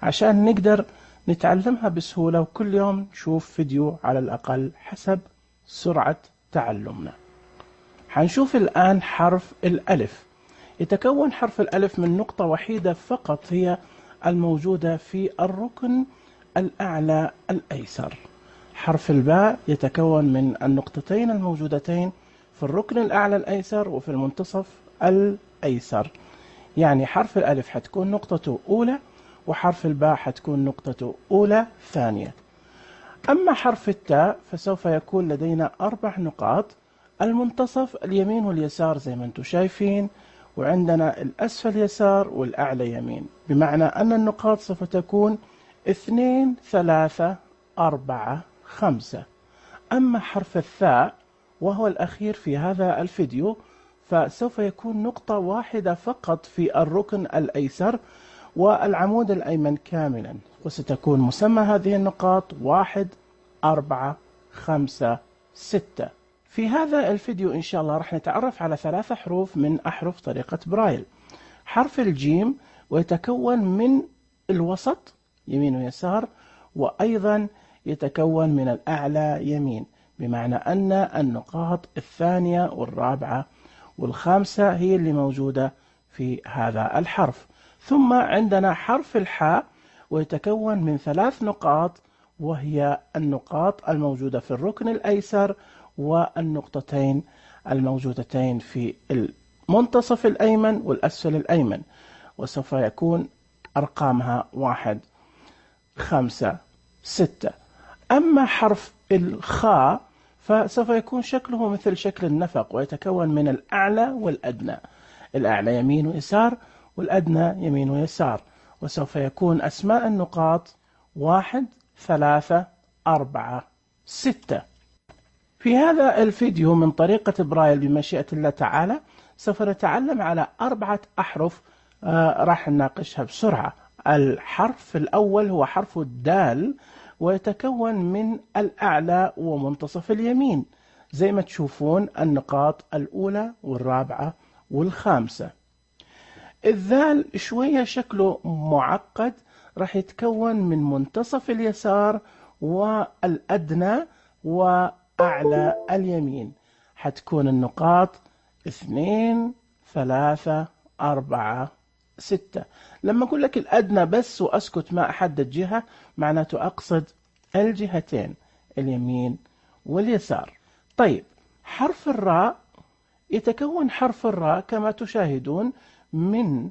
عشان نقدر نتعلمها بسهولة، وكل يوم نشوف فيديو على الأقل حسب سرعة تعلمنا. هنشوف الآن حرف الألف. يتكون حرف الألف من نقطة وحيدة فقط، هي الموجودة في الركن الأعلى الأيسر. حرف الباء يتكون من النقطتين الموجودتين في الركن الأعلى الأيسر وفي المنتصف الأيسر، يعني حرف الألف حتكون نقطته أولى، وحرف الباء حتكون نقطته أولى ثانية. أما حرف التاء فسوف يكون لدينا أربع نقاط، المنتصف اليمين واليسار زي ما انتم شايفين، وعندنا الأسفل يسار والأعلى يمين، بمعنى أن النقاط سوف تكون اثنين ثلاثة أربعة خمسة. أما حرف الثاء وهو الأخير في هذا الفيديو فسوف يكون نقطة واحدة فقط في الركن الأيسر والعمود الأيمن كاملا، وستكون مسمى هذه النقاط واحد أربعة خمسة ستة. في هذا الفيديو إن شاء الله راح نتعرف على ثلاثة حروف من أحرف طريقة برايل. حرف الجيم ويتكون من الوسط يمين ويسار، وأيضا يتكون من الأعلى يمين، بمعنى أن النقاط الثانية والرابعة والخامسة هي اللي موجودة في هذا الحرف. ثم عندنا حرف الحاء ويتكون من ثلاث نقاط، وهي النقاط الموجودة في الركن الأيسر والنقطتين الموجودتين في المنتصف الأيمن والأسفل الأيمن، وسوف يكون أرقامها واحد خمسة ستة. أما حرف الخاء فسوف يكون شكله مثل شكل النفق، ويتكون من الأعلى والأدنى، الأعلى يمين ويسار والأدنى يمين ويسار، وسوف يكون أسماء النقاط واحد ثلاثة أربعة ستة. في هذا الفيديو من طريقة برايل بمشيئة الله تعالى سوف نتعلم على أربعة أحرف آه راح نناقشها بسرعة. الحرف الأول هو حرف الدال، ويتكون من الأعلى ومنتصف اليمين زي ما تشوفون النقاط الأولى والرابعة والخامسة. الذال شوية شكله معقد، راح يتكون من منتصف اليسار والأدنى وأعلى اليمين، حتكون النقاط اثنين ثلاثة أربعة ستة. لما أقول لك الأدنى بس وأسكت ما أحدد جهة معناته أقصد الجهتين اليمين واليسار. طيب حرف الراء يتكون حرف الراء كما تشاهدون من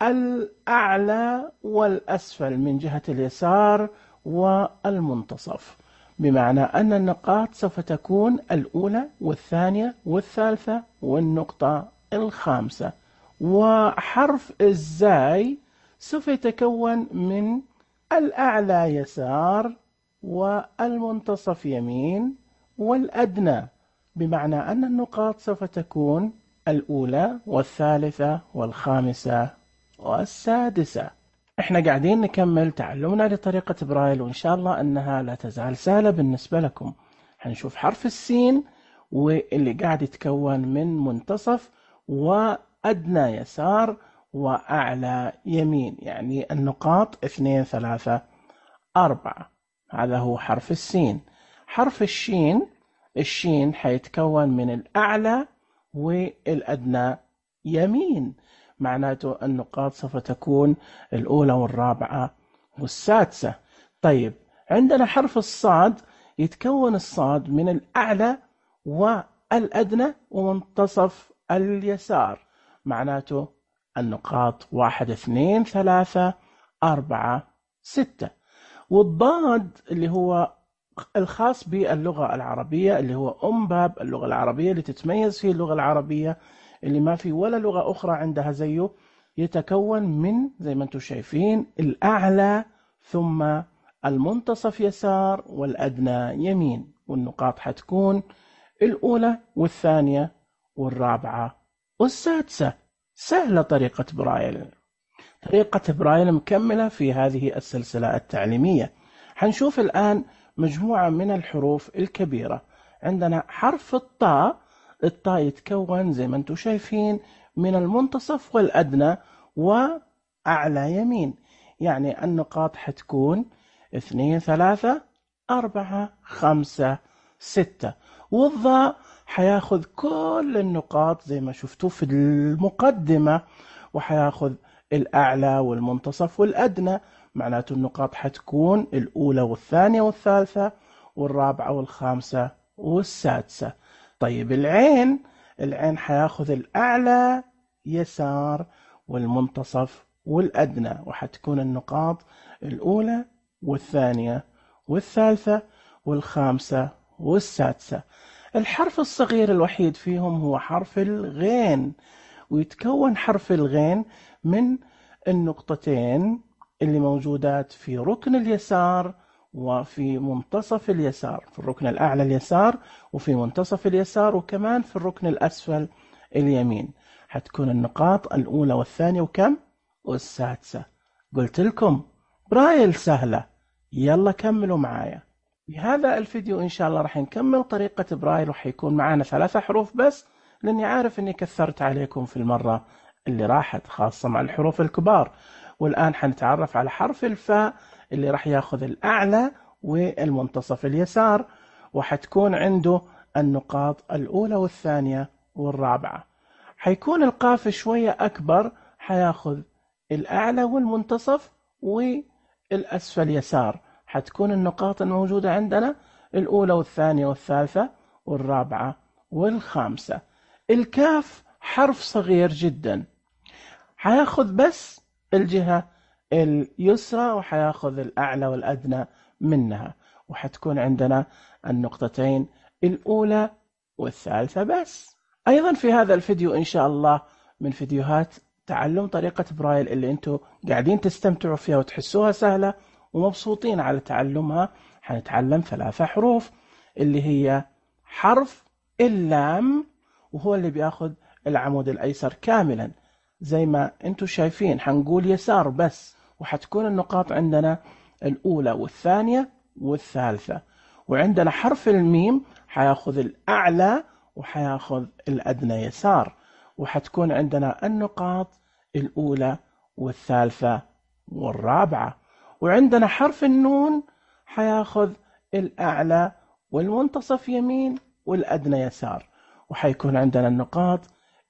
الأعلى والأسفل من جهة اليسار والمنتصف، بمعنى أن النقاط سوف تكون الأولى والثانية والثالثة والنقطة الخامسة. وحرف الزاي سوف يتكون من الأعلى يسار والمنتصف يمين والأدنى، بمعنى أن النقاط سوف تكون الأولى والثالثة والخامسة والسادسة. احنا قاعدين نكمل تعلمنا لطريقة برايل، وإن شاء الله أنها لا تزال سهلة بالنسبة لكم. هنشوف حرف السين واللي قاعد يتكون من منتصف وأدنى يسار وأعلى يمين، يعني النقاط اثنين ثلاثة أربعة. هذا هو حرف السين. حرف الشين، الشين حيتكون من الأعلى والأدنى يمين، معناته النقاط سوف تكون الأولى والرابعة والسادسة. طيب عندنا حرف الصاد، يتكون الصاد من الأعلى والأدنى ومنتصف اليسار، معناته النقاط واحد اثنين ثلاثة أربعة ستة. والضاد اللي هو الخاص باللغة العربية، اللي هو أم باب اللغة العربية، اللي تتميز فيه اللغة العربية، اللي ما في ولا لغة أخرى عندها زيه، يتكون من زي ما انتم شايفين الأعلى ثم المنتصف يسار والأدنى يمين، والنقاط حتكون الأولى والثانية والرابعة والسادسة. سهلة طريقة برايل. طريقة برايل مكملة في هذه السلسلة التعليمية. حنشوف الآن مجموعة من الحروف الكبيرة. عندنا حرف الطاء، الطاء يتكون زي ما انتم شايفين من المنتصف والأدنى وأعلى يمين، يعني النقاط حتكون اثنين ثلاثة أربعة خمسة ستة، والضاء حياخذ كل النقاط زي ما شفتوا في المقدمة، وحياخذ الأعلى والمنتصف والأدنى، معناته النقاط حتكون الأولى والثانية والثالثة والرابعة والخامسة والسادسة. طيب العين، العين حياخذ الأعلى يسار والمنتصف والأدنى، وحتكون النقاط الأولى والثانية والثالثة والخامسة والسادسة. الحرف الصغير الوحيد فيهم هو حرف الغين، ويتكون حرف الغين من النقطتين اللي موجودات في ركن اليسار وفي منتصف اليسار، في الركن الأعلى اليسار وفي منتصف اليسار وكمان في الركن الأسفل اليمين. حتكون النقاط الأولى والثانية وكم؟ والسادسة. قلت لكم برايل سهلة، يلا كملوا معايا. في هذا الفيديو إن شاء الله راح نكمل طريقة برايل، وحيكون معانا ثلاثة حروف بس، لأني عارف أني كثرت عليكم في المرة اللي راحت خاصة مع الحروف الكبار. والآن حنتعرف على حرف الفاء اللي راح ياخذ الأعلى والمنتصف اليسار، وحتكون عنده النقاط الأولى والثانية والرابعة. حيكون القاف شوية أكبر، حياخذ الأعلى والمنتصف والأسفل يسار. حتكون النقاط الموجودة عندنا الأولى والثانية والثالثة والرابعة والخامسة. الكاف حرف صغير جدا، حياخذ بس الجهة اليسرى وحياخذ الأعلى والأدنى منها، وحتكون عندنا النقطتين الأولى والثالثة بس. أيضا في هذا الفيديو إن شاء الله من فيديوهات تعلم طريقة برايل اللي أنتوا قاعدين تستمتعوا فيها وتحسوها سهلة ومبسوطين على تعلمها، حنتعلم ثلاثة حروف اللي هي حرف اللام، وهو اللي بياخذ العمود الأيسر كاملا زي ما أنتوا شايفين. حنقول يسار بس، وحتكون النقاط عندنا الأولى والثانية والثالثة. وعندنا حرف الميم حياخذ الأعلى وحياخذ الأدنى يسار، وحتكون عندنا النقاط الأولى والثالثة والرابعة. وعندنا حرف النون حياخذ الأعلى والمنتصف يمين والأدنى يسار، وحيكون عندنا النقاط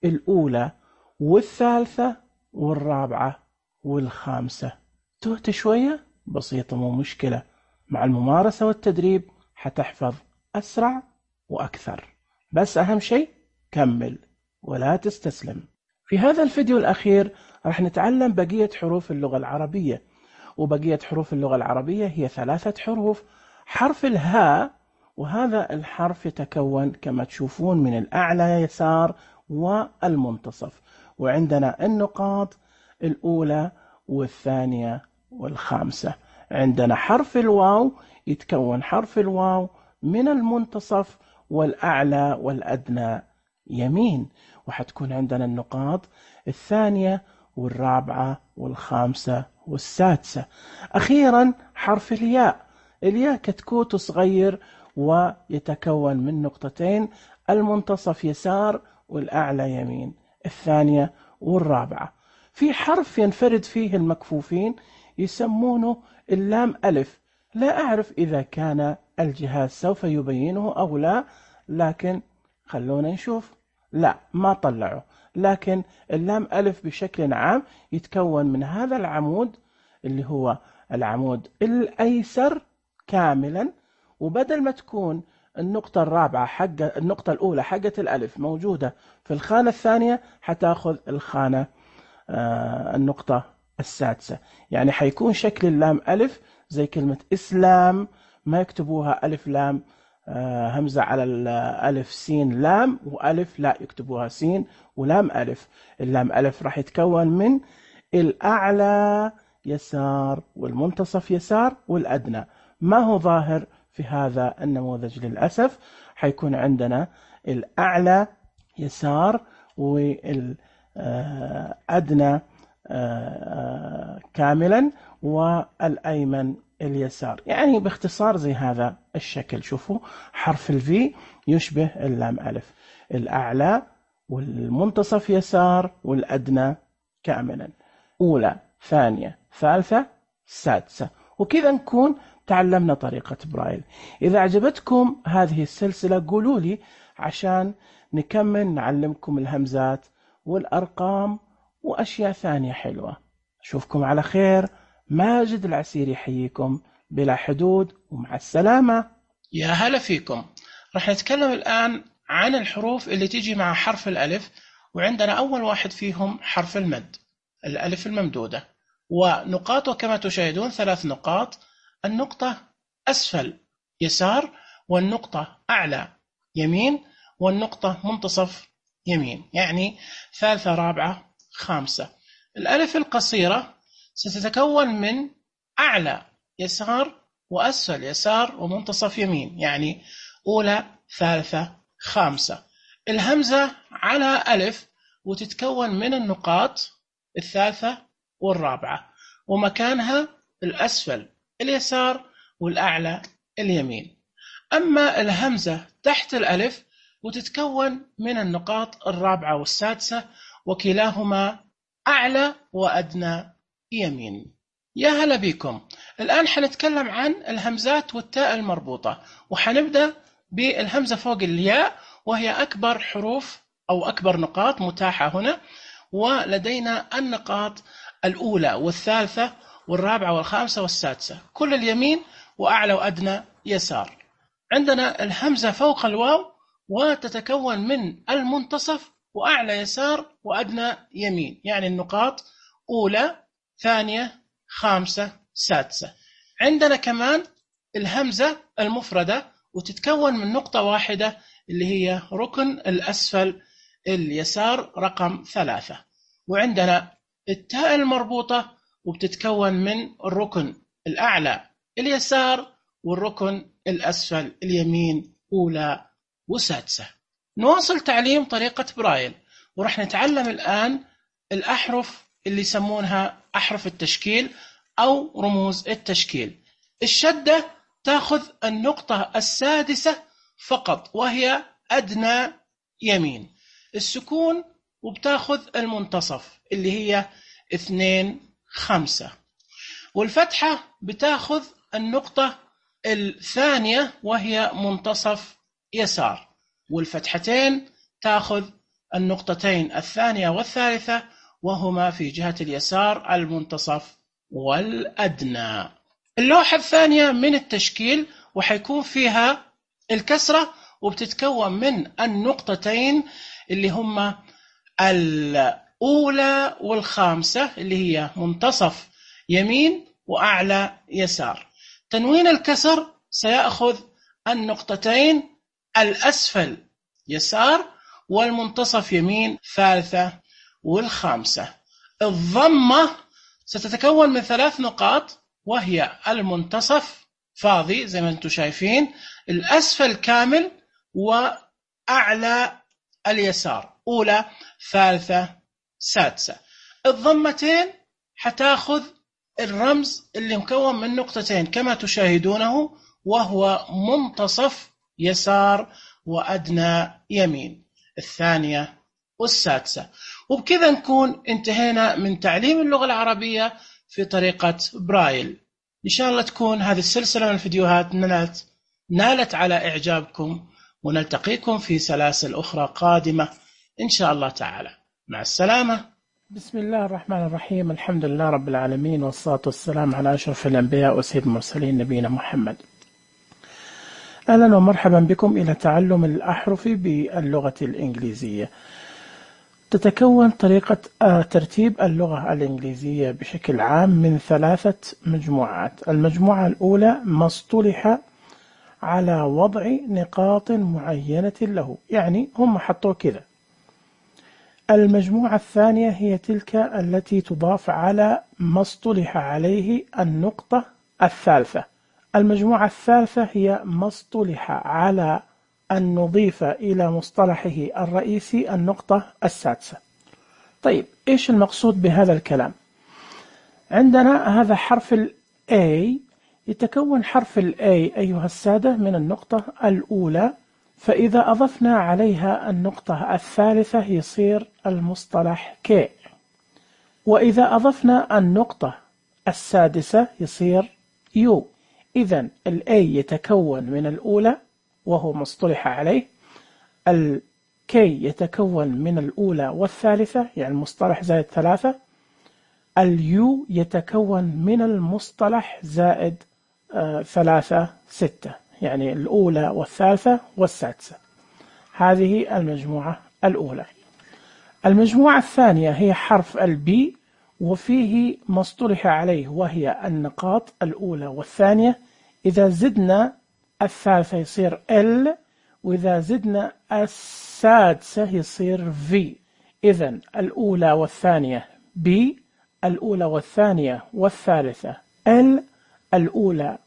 الأولى والثالثة والرابعة والخامسة. تهت شوية؟ بسيطة، مو مشكلة، مع الممارسة والتدريب حتحفظ أسرع وأكثر. بس أهم شيء كمل ولا تستسلم. في هذا الفيديو الأخير راح نتعلم بقية حروف اللغة العربية، وبقية حروف اللغة العربية هي ثلاثة حروف. حرف الهاء، وهذا الحرف يتكون كما تشوفون من الأعلى يسار والمنتصف، وعندنا النقاط الأولى والثانية والخامسة. عندنا حرف الواو، يتكون حرف الواو من المنتصف والأعلى والأدنى يمين، وحتكون عندنا النقاط الثانية والرابعة والخامسة والسادسة. أخيرا حرف الياء، الياء كتكوت صغير ويتكون من نقطتين، المنتصف يسار والأعلى يمين، الثانية والرابعة. في حرف ينفرد فيه المكفوفين يسمونه اللام ألف، لا أعرف إذا كان الجهاز سوف يبينه أو لا، لكن خلونا نشوف. لا، ما طلعوا، لكن اللام ألف بشكل عام يتكون من هذا العمود اللي هو العمود الأيسر كاملا، وبدل ما تكون النقطة الرابعة حق النقطة الأولى حقة الألف موجودة في الخانة الثانية، حتاخذ الخانة آه النقطة السادسة. يعني حيكون شكل اللام ألف زي كلمة إسلام، ما يكتبوها ألف لام آه همزة على الألف سين لام وألف، لا يكتبوها سين ولام ألف. اللام ألف راح يتكون من الأعلى يسار والمنتصف يسار والأدنى، ما هو ظاهر في هذا النموذج للأسف. حيكون عندنا الأعلى يسار والأدنى كاملا والأيمن اليسار. يعني باختصار زي هذا الشكل. شوفوا حرف الفي يشبه اللام ألف، الأعلى والمنتصف يسار والأدنى كاملا، أولى ثانية ثالثة سادسة. وكذا نكون تعلمنا طريقة برايل. إذا أعجبتكم هذه السلسلة قولوا لي عشان نكمل نعلمكم الهمزات والأرقام وأشياء ثانية حلوة. أشوفكم على خير. ماجد العسيري يحييكم بلا حدود، ومع السلامة. يا هلا فيكم. راح نتكلم الآن عن الحروف اللي تيجي مع حرف الألف، وعندنا أول واحد فيهم حرف المد، الألف الممدودة، ونقاطه كما تشاهدون ثلاث نقاط، النقطة أسفل يسار، والنقطة أعلى يمين، والنقطة منتصف يمين، يعني ثالثة رابعة خامسة. الألف القصيرة ستتكون من أعلى يسار وأسفل يسار ومنتصف يمين، يعني أولى ثالثة خامسة. الهمزة على ألف وتتكون من النقاط الثالثة والرابعة، ومكانها الأسفل اليسار والأعلى اليمين. أما الهمزة تحت الألف وتتكون من النقاط الرابعة والسادسة، وكلاهما أعلى وأدنى يمين. يا هلا بكم. الآن حنتكلم عن الهمزات والتاء المربوطة، وحنبدأ بالهمزة فوق الياء، وهي أكبر حروف أو أكبر نقاط متاحة هنا، ولدينا النقاط الأولى والثالثة والرابعة والخامسة والسادسة، كل اليمين وأعلى وأدنى يسار. عندنا الهمزة فوق الواو وتتكون من المنتصف وأعلى يسار وأدنى يمين، يعني النقاط أولى ثانية خامسة سادسة. عندنا كمان الهمزة المفردة وتتكون من نقطة واحدة اللي هي ركن الأسفل اليسار رقم ثلاثة. وعندنا التاء المربوطة وبتتكون من الركن الأعلى اليسار والركن الأسفل اليمين أولى وسادسة. نواصل تعليم طريقة برايل، ورح نتعلم الآن الأحرف اللي يسمونها أحرف التشكيل أو رموز التشكيل. الشدة تأخذ النقطة السادسة فقط وهي أدنى يمين. السكون وبتاخذ المنتصف اللي هي اثنين خمسة. والفتحة بتاخذ النقطة الثانية وهي منتصف يسار. والفتحتين تاخذ النقطتين الثانية والثالثة وهما في جهة اليسار المنتصف والأدنى. اللوحة الثانية من التشكيل وحيكون فيها الكسرة وبتتكون من النقطتين اللي هما الأولى والخامسة اللي هي منتصف يمين وأعلى يسار. تنوين الكسر سيأخذ النقطتين الأسفل يسار والمنتصف يمين ثالثة والخامسة. الضمة ستتكون من ثلاث نقاط وهي المنتصف فاضي زي ما انتم شايفين، الأسفل كامل، وأعلى اليسار أولى ثالثة سادسة. الضمتين حتاخذ الرمز اللي مكون من نقطتين كما تشاهدونه وهو منتصف يسار وأدنى يمين، الثانية والسادسة. وبكذا نكون انتهينا من تعليم اللغة العربية في طريقة برايل. إن شاء الله تكون هذه السلسلة من الفيديوهات نالت, نالت على إعجابكم، ونلتقيكم في سلاسل أخرى قادمة إن شاء الله تعالى. مع السلامة. بسم الله الرحمن الرحيم. الحمد لله رب العالمين، والصلاة والسلام على أشرف الأنبياء وسيد المرسلين نبينا محمد. أهلا ومرحبا بكم إلى تعلم الأحرف باللغة الإنجليزية. تتكون طريقة ترتيب اللغة الإنجليزية بشكل عام من ثلاثة مجموعات. المجموعة الأولى ما اصطلح على وضع نقاط معينة له، يعني هم حطوا كذا. المجموعة الثانية هي تلك التي تضاف على ما اصطلح عليه النقطة الثالثة. المجموعة الثالثة هي ما اصطلح على أن نضيف إلى مصطلحه الرئيسي النقطة السادسة. طيب إيش المقصود بهذا الكلام؟ عندنا هذا حرف ال A يتكون حرف ال A أيها السادة من النقطة الأولى، فإذا أضفنا عليها النقطة الثالثة يصير المصطلح K، وإذا أضفنا النقطة السادسة يصير U. إذن ال A يتكون من الأولى وهو مصطلح عليه، ال K يتكون من الأولى والثالثة يعني المصطلح زائد ثلاثة، ال U يتكون من المصطلح زائد آه ثلاثة ستة يعني الأولى والثالثة والسادسة. هذه المجموعة الأولى. المجموعة الثانية هي حرف ال B وفيه مصطلح عليه وهي النقاط الأولى والثانية، إذا زدنا الثالثة يصير L، وإذا زدنا السادسة يصير V. إذن الأولى والثانية B، الأولى والثانية والثالثة L، الأولى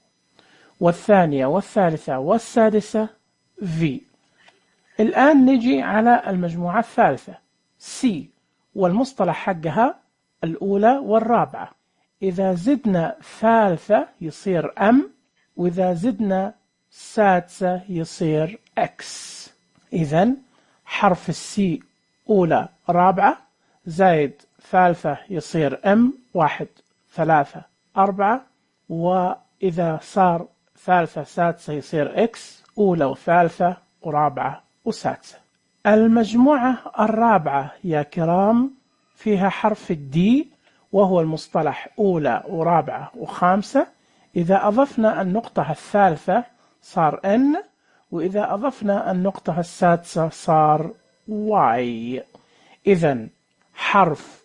والثانية والثالثة والسادسة V. الآن نجي على المجموعة الثالثة C، والمصطلح حقها الأولى والرابعة، إذا زدنا ثالثة يصير M، وإذا زدنا سادسة يصير X. إذن حرف السي أولى رابعة زائد ثالثة يصير M، واحد ثلاثة أربعة، وإذا صار ثالثة سادسة يصير X، أولى وثالثة ورابعة وسادسة. المجموعة الرابعة يا كرام فيها حرف الدي وهو المصطلح أولى ورابعة وخامسة، إذا أضفنا النقطة الثالثة صار N، وإذا أضفنا النقطة السادسة صار Y. إذن حرف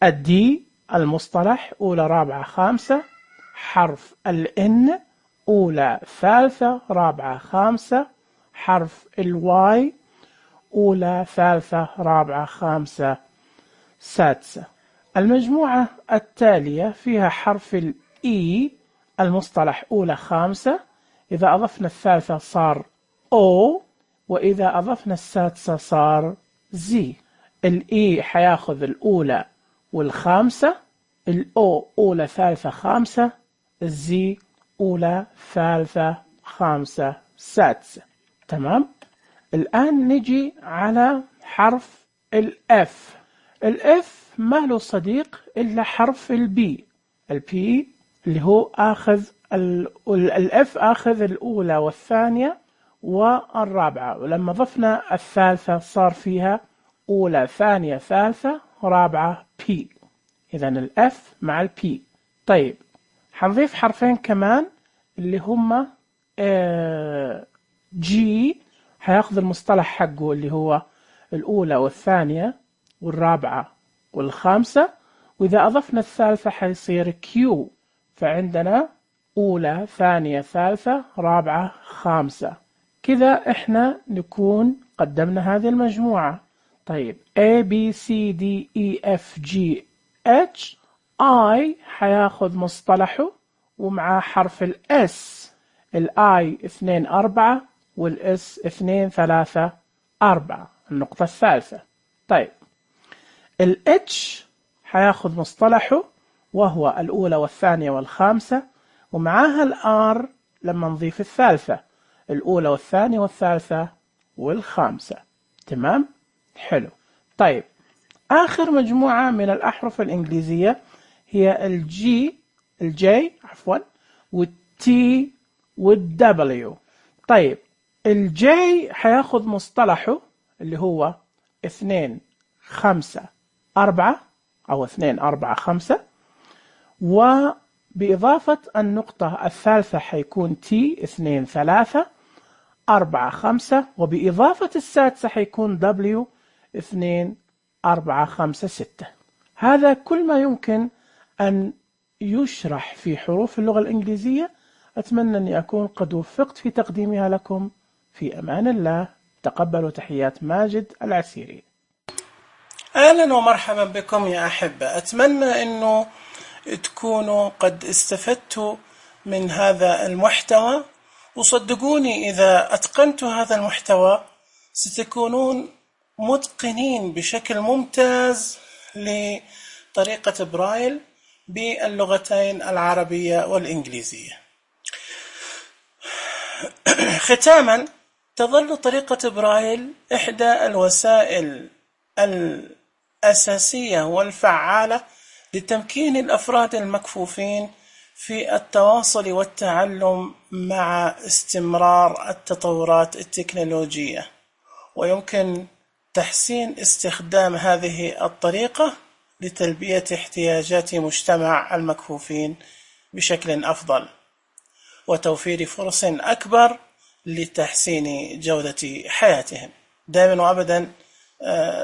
الدي المصطلح أولى رابعة خامسة، حرف الN أولى ثالثة رابعة خامسة، حرف الواي أولى ثالثة رابعة خامسة سادسة. المجموعة التالية فيها حرف الإي المصطلح أولى خامسة، إذا أضفنا الثالثة صار O، وإذا أضفنا السادسة صار Z. الإي حياخذ الأولى والخامسة، الأو أولى ثالثة خامسة، الزي أولى ثالثة خامسة سادسة. تمام؟ الآن نجي على حرف الإف. الإف ما له صديق إلا حرف البي. البي اللي هو آخذ الإف آخذ الأولى والثانية والرابعة، ولما ضفنا الثالثة صار فيها أولى ثانية ثالثة رابعة بي. إذن الإف مع البي. طيب حنضيف حرفين كمان اللي هما جي، هياخذ المصطلح حقه اللي هو الأولى والثانية والرابعة والخامسة، وإذا أضفنا الثالثة حيصير كيو، فعندنا أولى ثانية ثالثة رابعة خامسة. كذا إحنا نكون قدمنا هذه المجموعة. طيب A B C D E F G H I حياخذ مصطلحه ومع حرف الS، الI اثنين أربعة والS اثنين ثلاثة أربعة النقطة الثالثة. طيب ال H حياخذ مصطلحه وهو الأولى والثانية والخامسة، ومعاها ال R لما نضيف الثالثة الأولى والثانية والثالثة والخامسة. تمام؟ حلو. طيب آخر مجموعة من الأحرف الإنجليزية هي الجي الجي عفوا والتي والدبليو. طيب الجي حياخذ مصطلحه اللي هو اثنين خمسة أربعة أو اثنين أربعة خمسة، وبإضافة النقطة الثالثة حيكون تي اثنين ثلاثة أربعة خمسة، وبإضافة السادسة حيكون دبليو اثنين أربعة خمسة ستة. هذا كل ما يمكن أن يشرح في حروف اللغة الإنجليزية. أتمنى أني أكون قد وفقت في تقديمها لكم. في أمان الله. تقبلوا تحيات ماجد العسيري. أهلا ومرحبا بكم يا أحبة. أتمنى أنه تكونوا قد استفدتوا من هذا المحتوى، وصدقوني إذا أتقنتوا هذا المحتوى ستكونون متقنين بشكل ممتاز لطريقة برايل باللغتين العربية والإنجليزية. ختاما، تظل طريقة برايل إحدى الوسائل الأساسية والفعالة لتمكين الأفراد المكفوفين في التواصل والتعلم مع استمرار التطورات التكنولوجية، ويمكن تحسين استخدام هذه الطريقة لتلبية احتياجات مجتمع المكفوفين بشكل أفضل، وتوفير فرص أكبر لتحسين جودة حياتهم. دائما وأبدا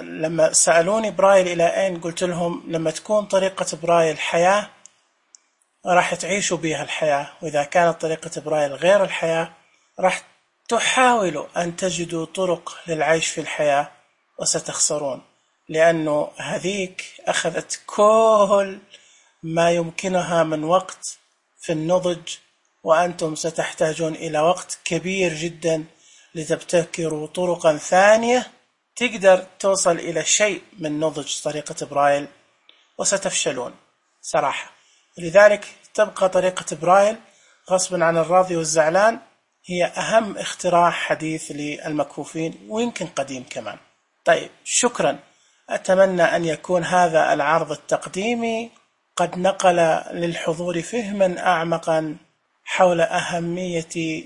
لما سألوني برايل إلى أين، قلت لهم لما تكون طريقة برايل حياة راح تعيشوا بها الحياة، وإذا كانت طريقة برايل غير الحياة راح تحاولوا أن تجدوا طرق للعيش في الحياة وستخسرون، لأنه هذيك أخذت كل ما يمكنها من وقت في النضج، وأنتم ستحتاجون إلى وقت كبير جدا لتبتكروا طرقا ثانية تقدر توصل إلى شيء من نضج طريقة برايل، وستفشلون صراحة. لذلك تبقى طريقة برايل غصبا عن الراضي والزعلان هي أهم اختراع حديث للمكفوفين، ويمكن قديم كمان. طيب، شكرا. أتمنى أن يكون هذا العرض التقديمي قد نقل للحضور فهما أعمقا حول أهمية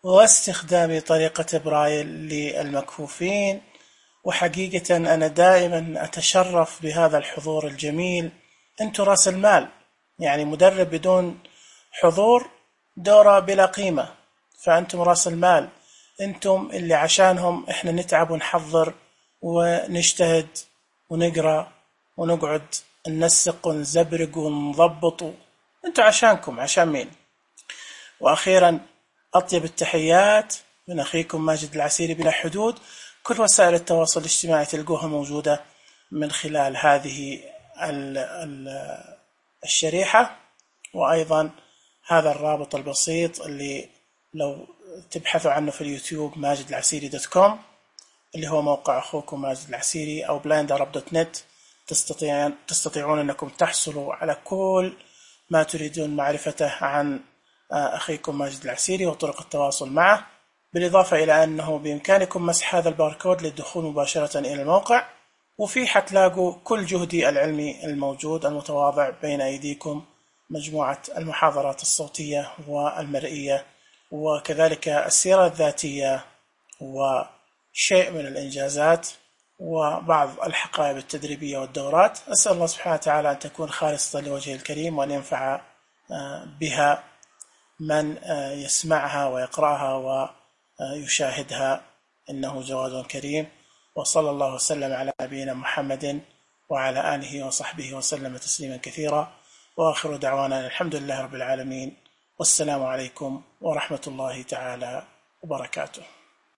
واستخدام طريقة برايل للمكفوفين. وحقيقة أنا دائما أتشرف بهذا الحضور الجميل. أنتم رأس المال، يعني مدرب بدون حضور دورة بلا قيمة، فأنتم رأس المال، أنتم اللي عشانهم إحنا نتعب ونحضر ونجتهد ونقرأ ونقعد ننسق ونزبرق ونضبط، أنتم عشانكم، عشان مين؟ وأخيرا أطيب التحيات من أخيكم ماجد العسيري بلا حدود. كل وسائل التواصل الاجتماعي تلقوها موجودة من خلال هذه الشريحة، وأيضا هذا الرابط البسيط اللي لو تبحثوا عنه في اليوتيوب ماجد العسيري دوت كوم، اللي هو موقع أخوكم ماجد العسيري، أو بلايند أرب دوت نت. تستطيعون تستطيعون أنكم تحصلوا على كل ما تريدون معرفته عن أخيكم ماجد العسيري وطرق التواصل معه، بالإضافة إلى أنه بإمكانكم مسح هذا الباركود للدخول مباشرة إلى الموقع، وفي حتلاقوا كل جهدي العلمي الموجود المتواضع بين أيديكم، مجموعة المحاضرات الصوتية والمرئية، وكذلك السيرة الذاتية، وشيء من الإنجازات، وبعض الحقائب التدريبية والدورات. أسأل الله سبحانه وتعالى أن تكون خالصة لوجهه الكريم، وأن ينفع بها من يسمعها ويقرأها ويشاهدها، إنه جواد كريم. وصلى الله وسلم على نبينا محمد وعلى آله وصحبه وسلم تسليما كثيرا، وآخر دعوانا الحمد لله رب العالمين، والسلام عليكم ورحمة الله تعالى وبركاته.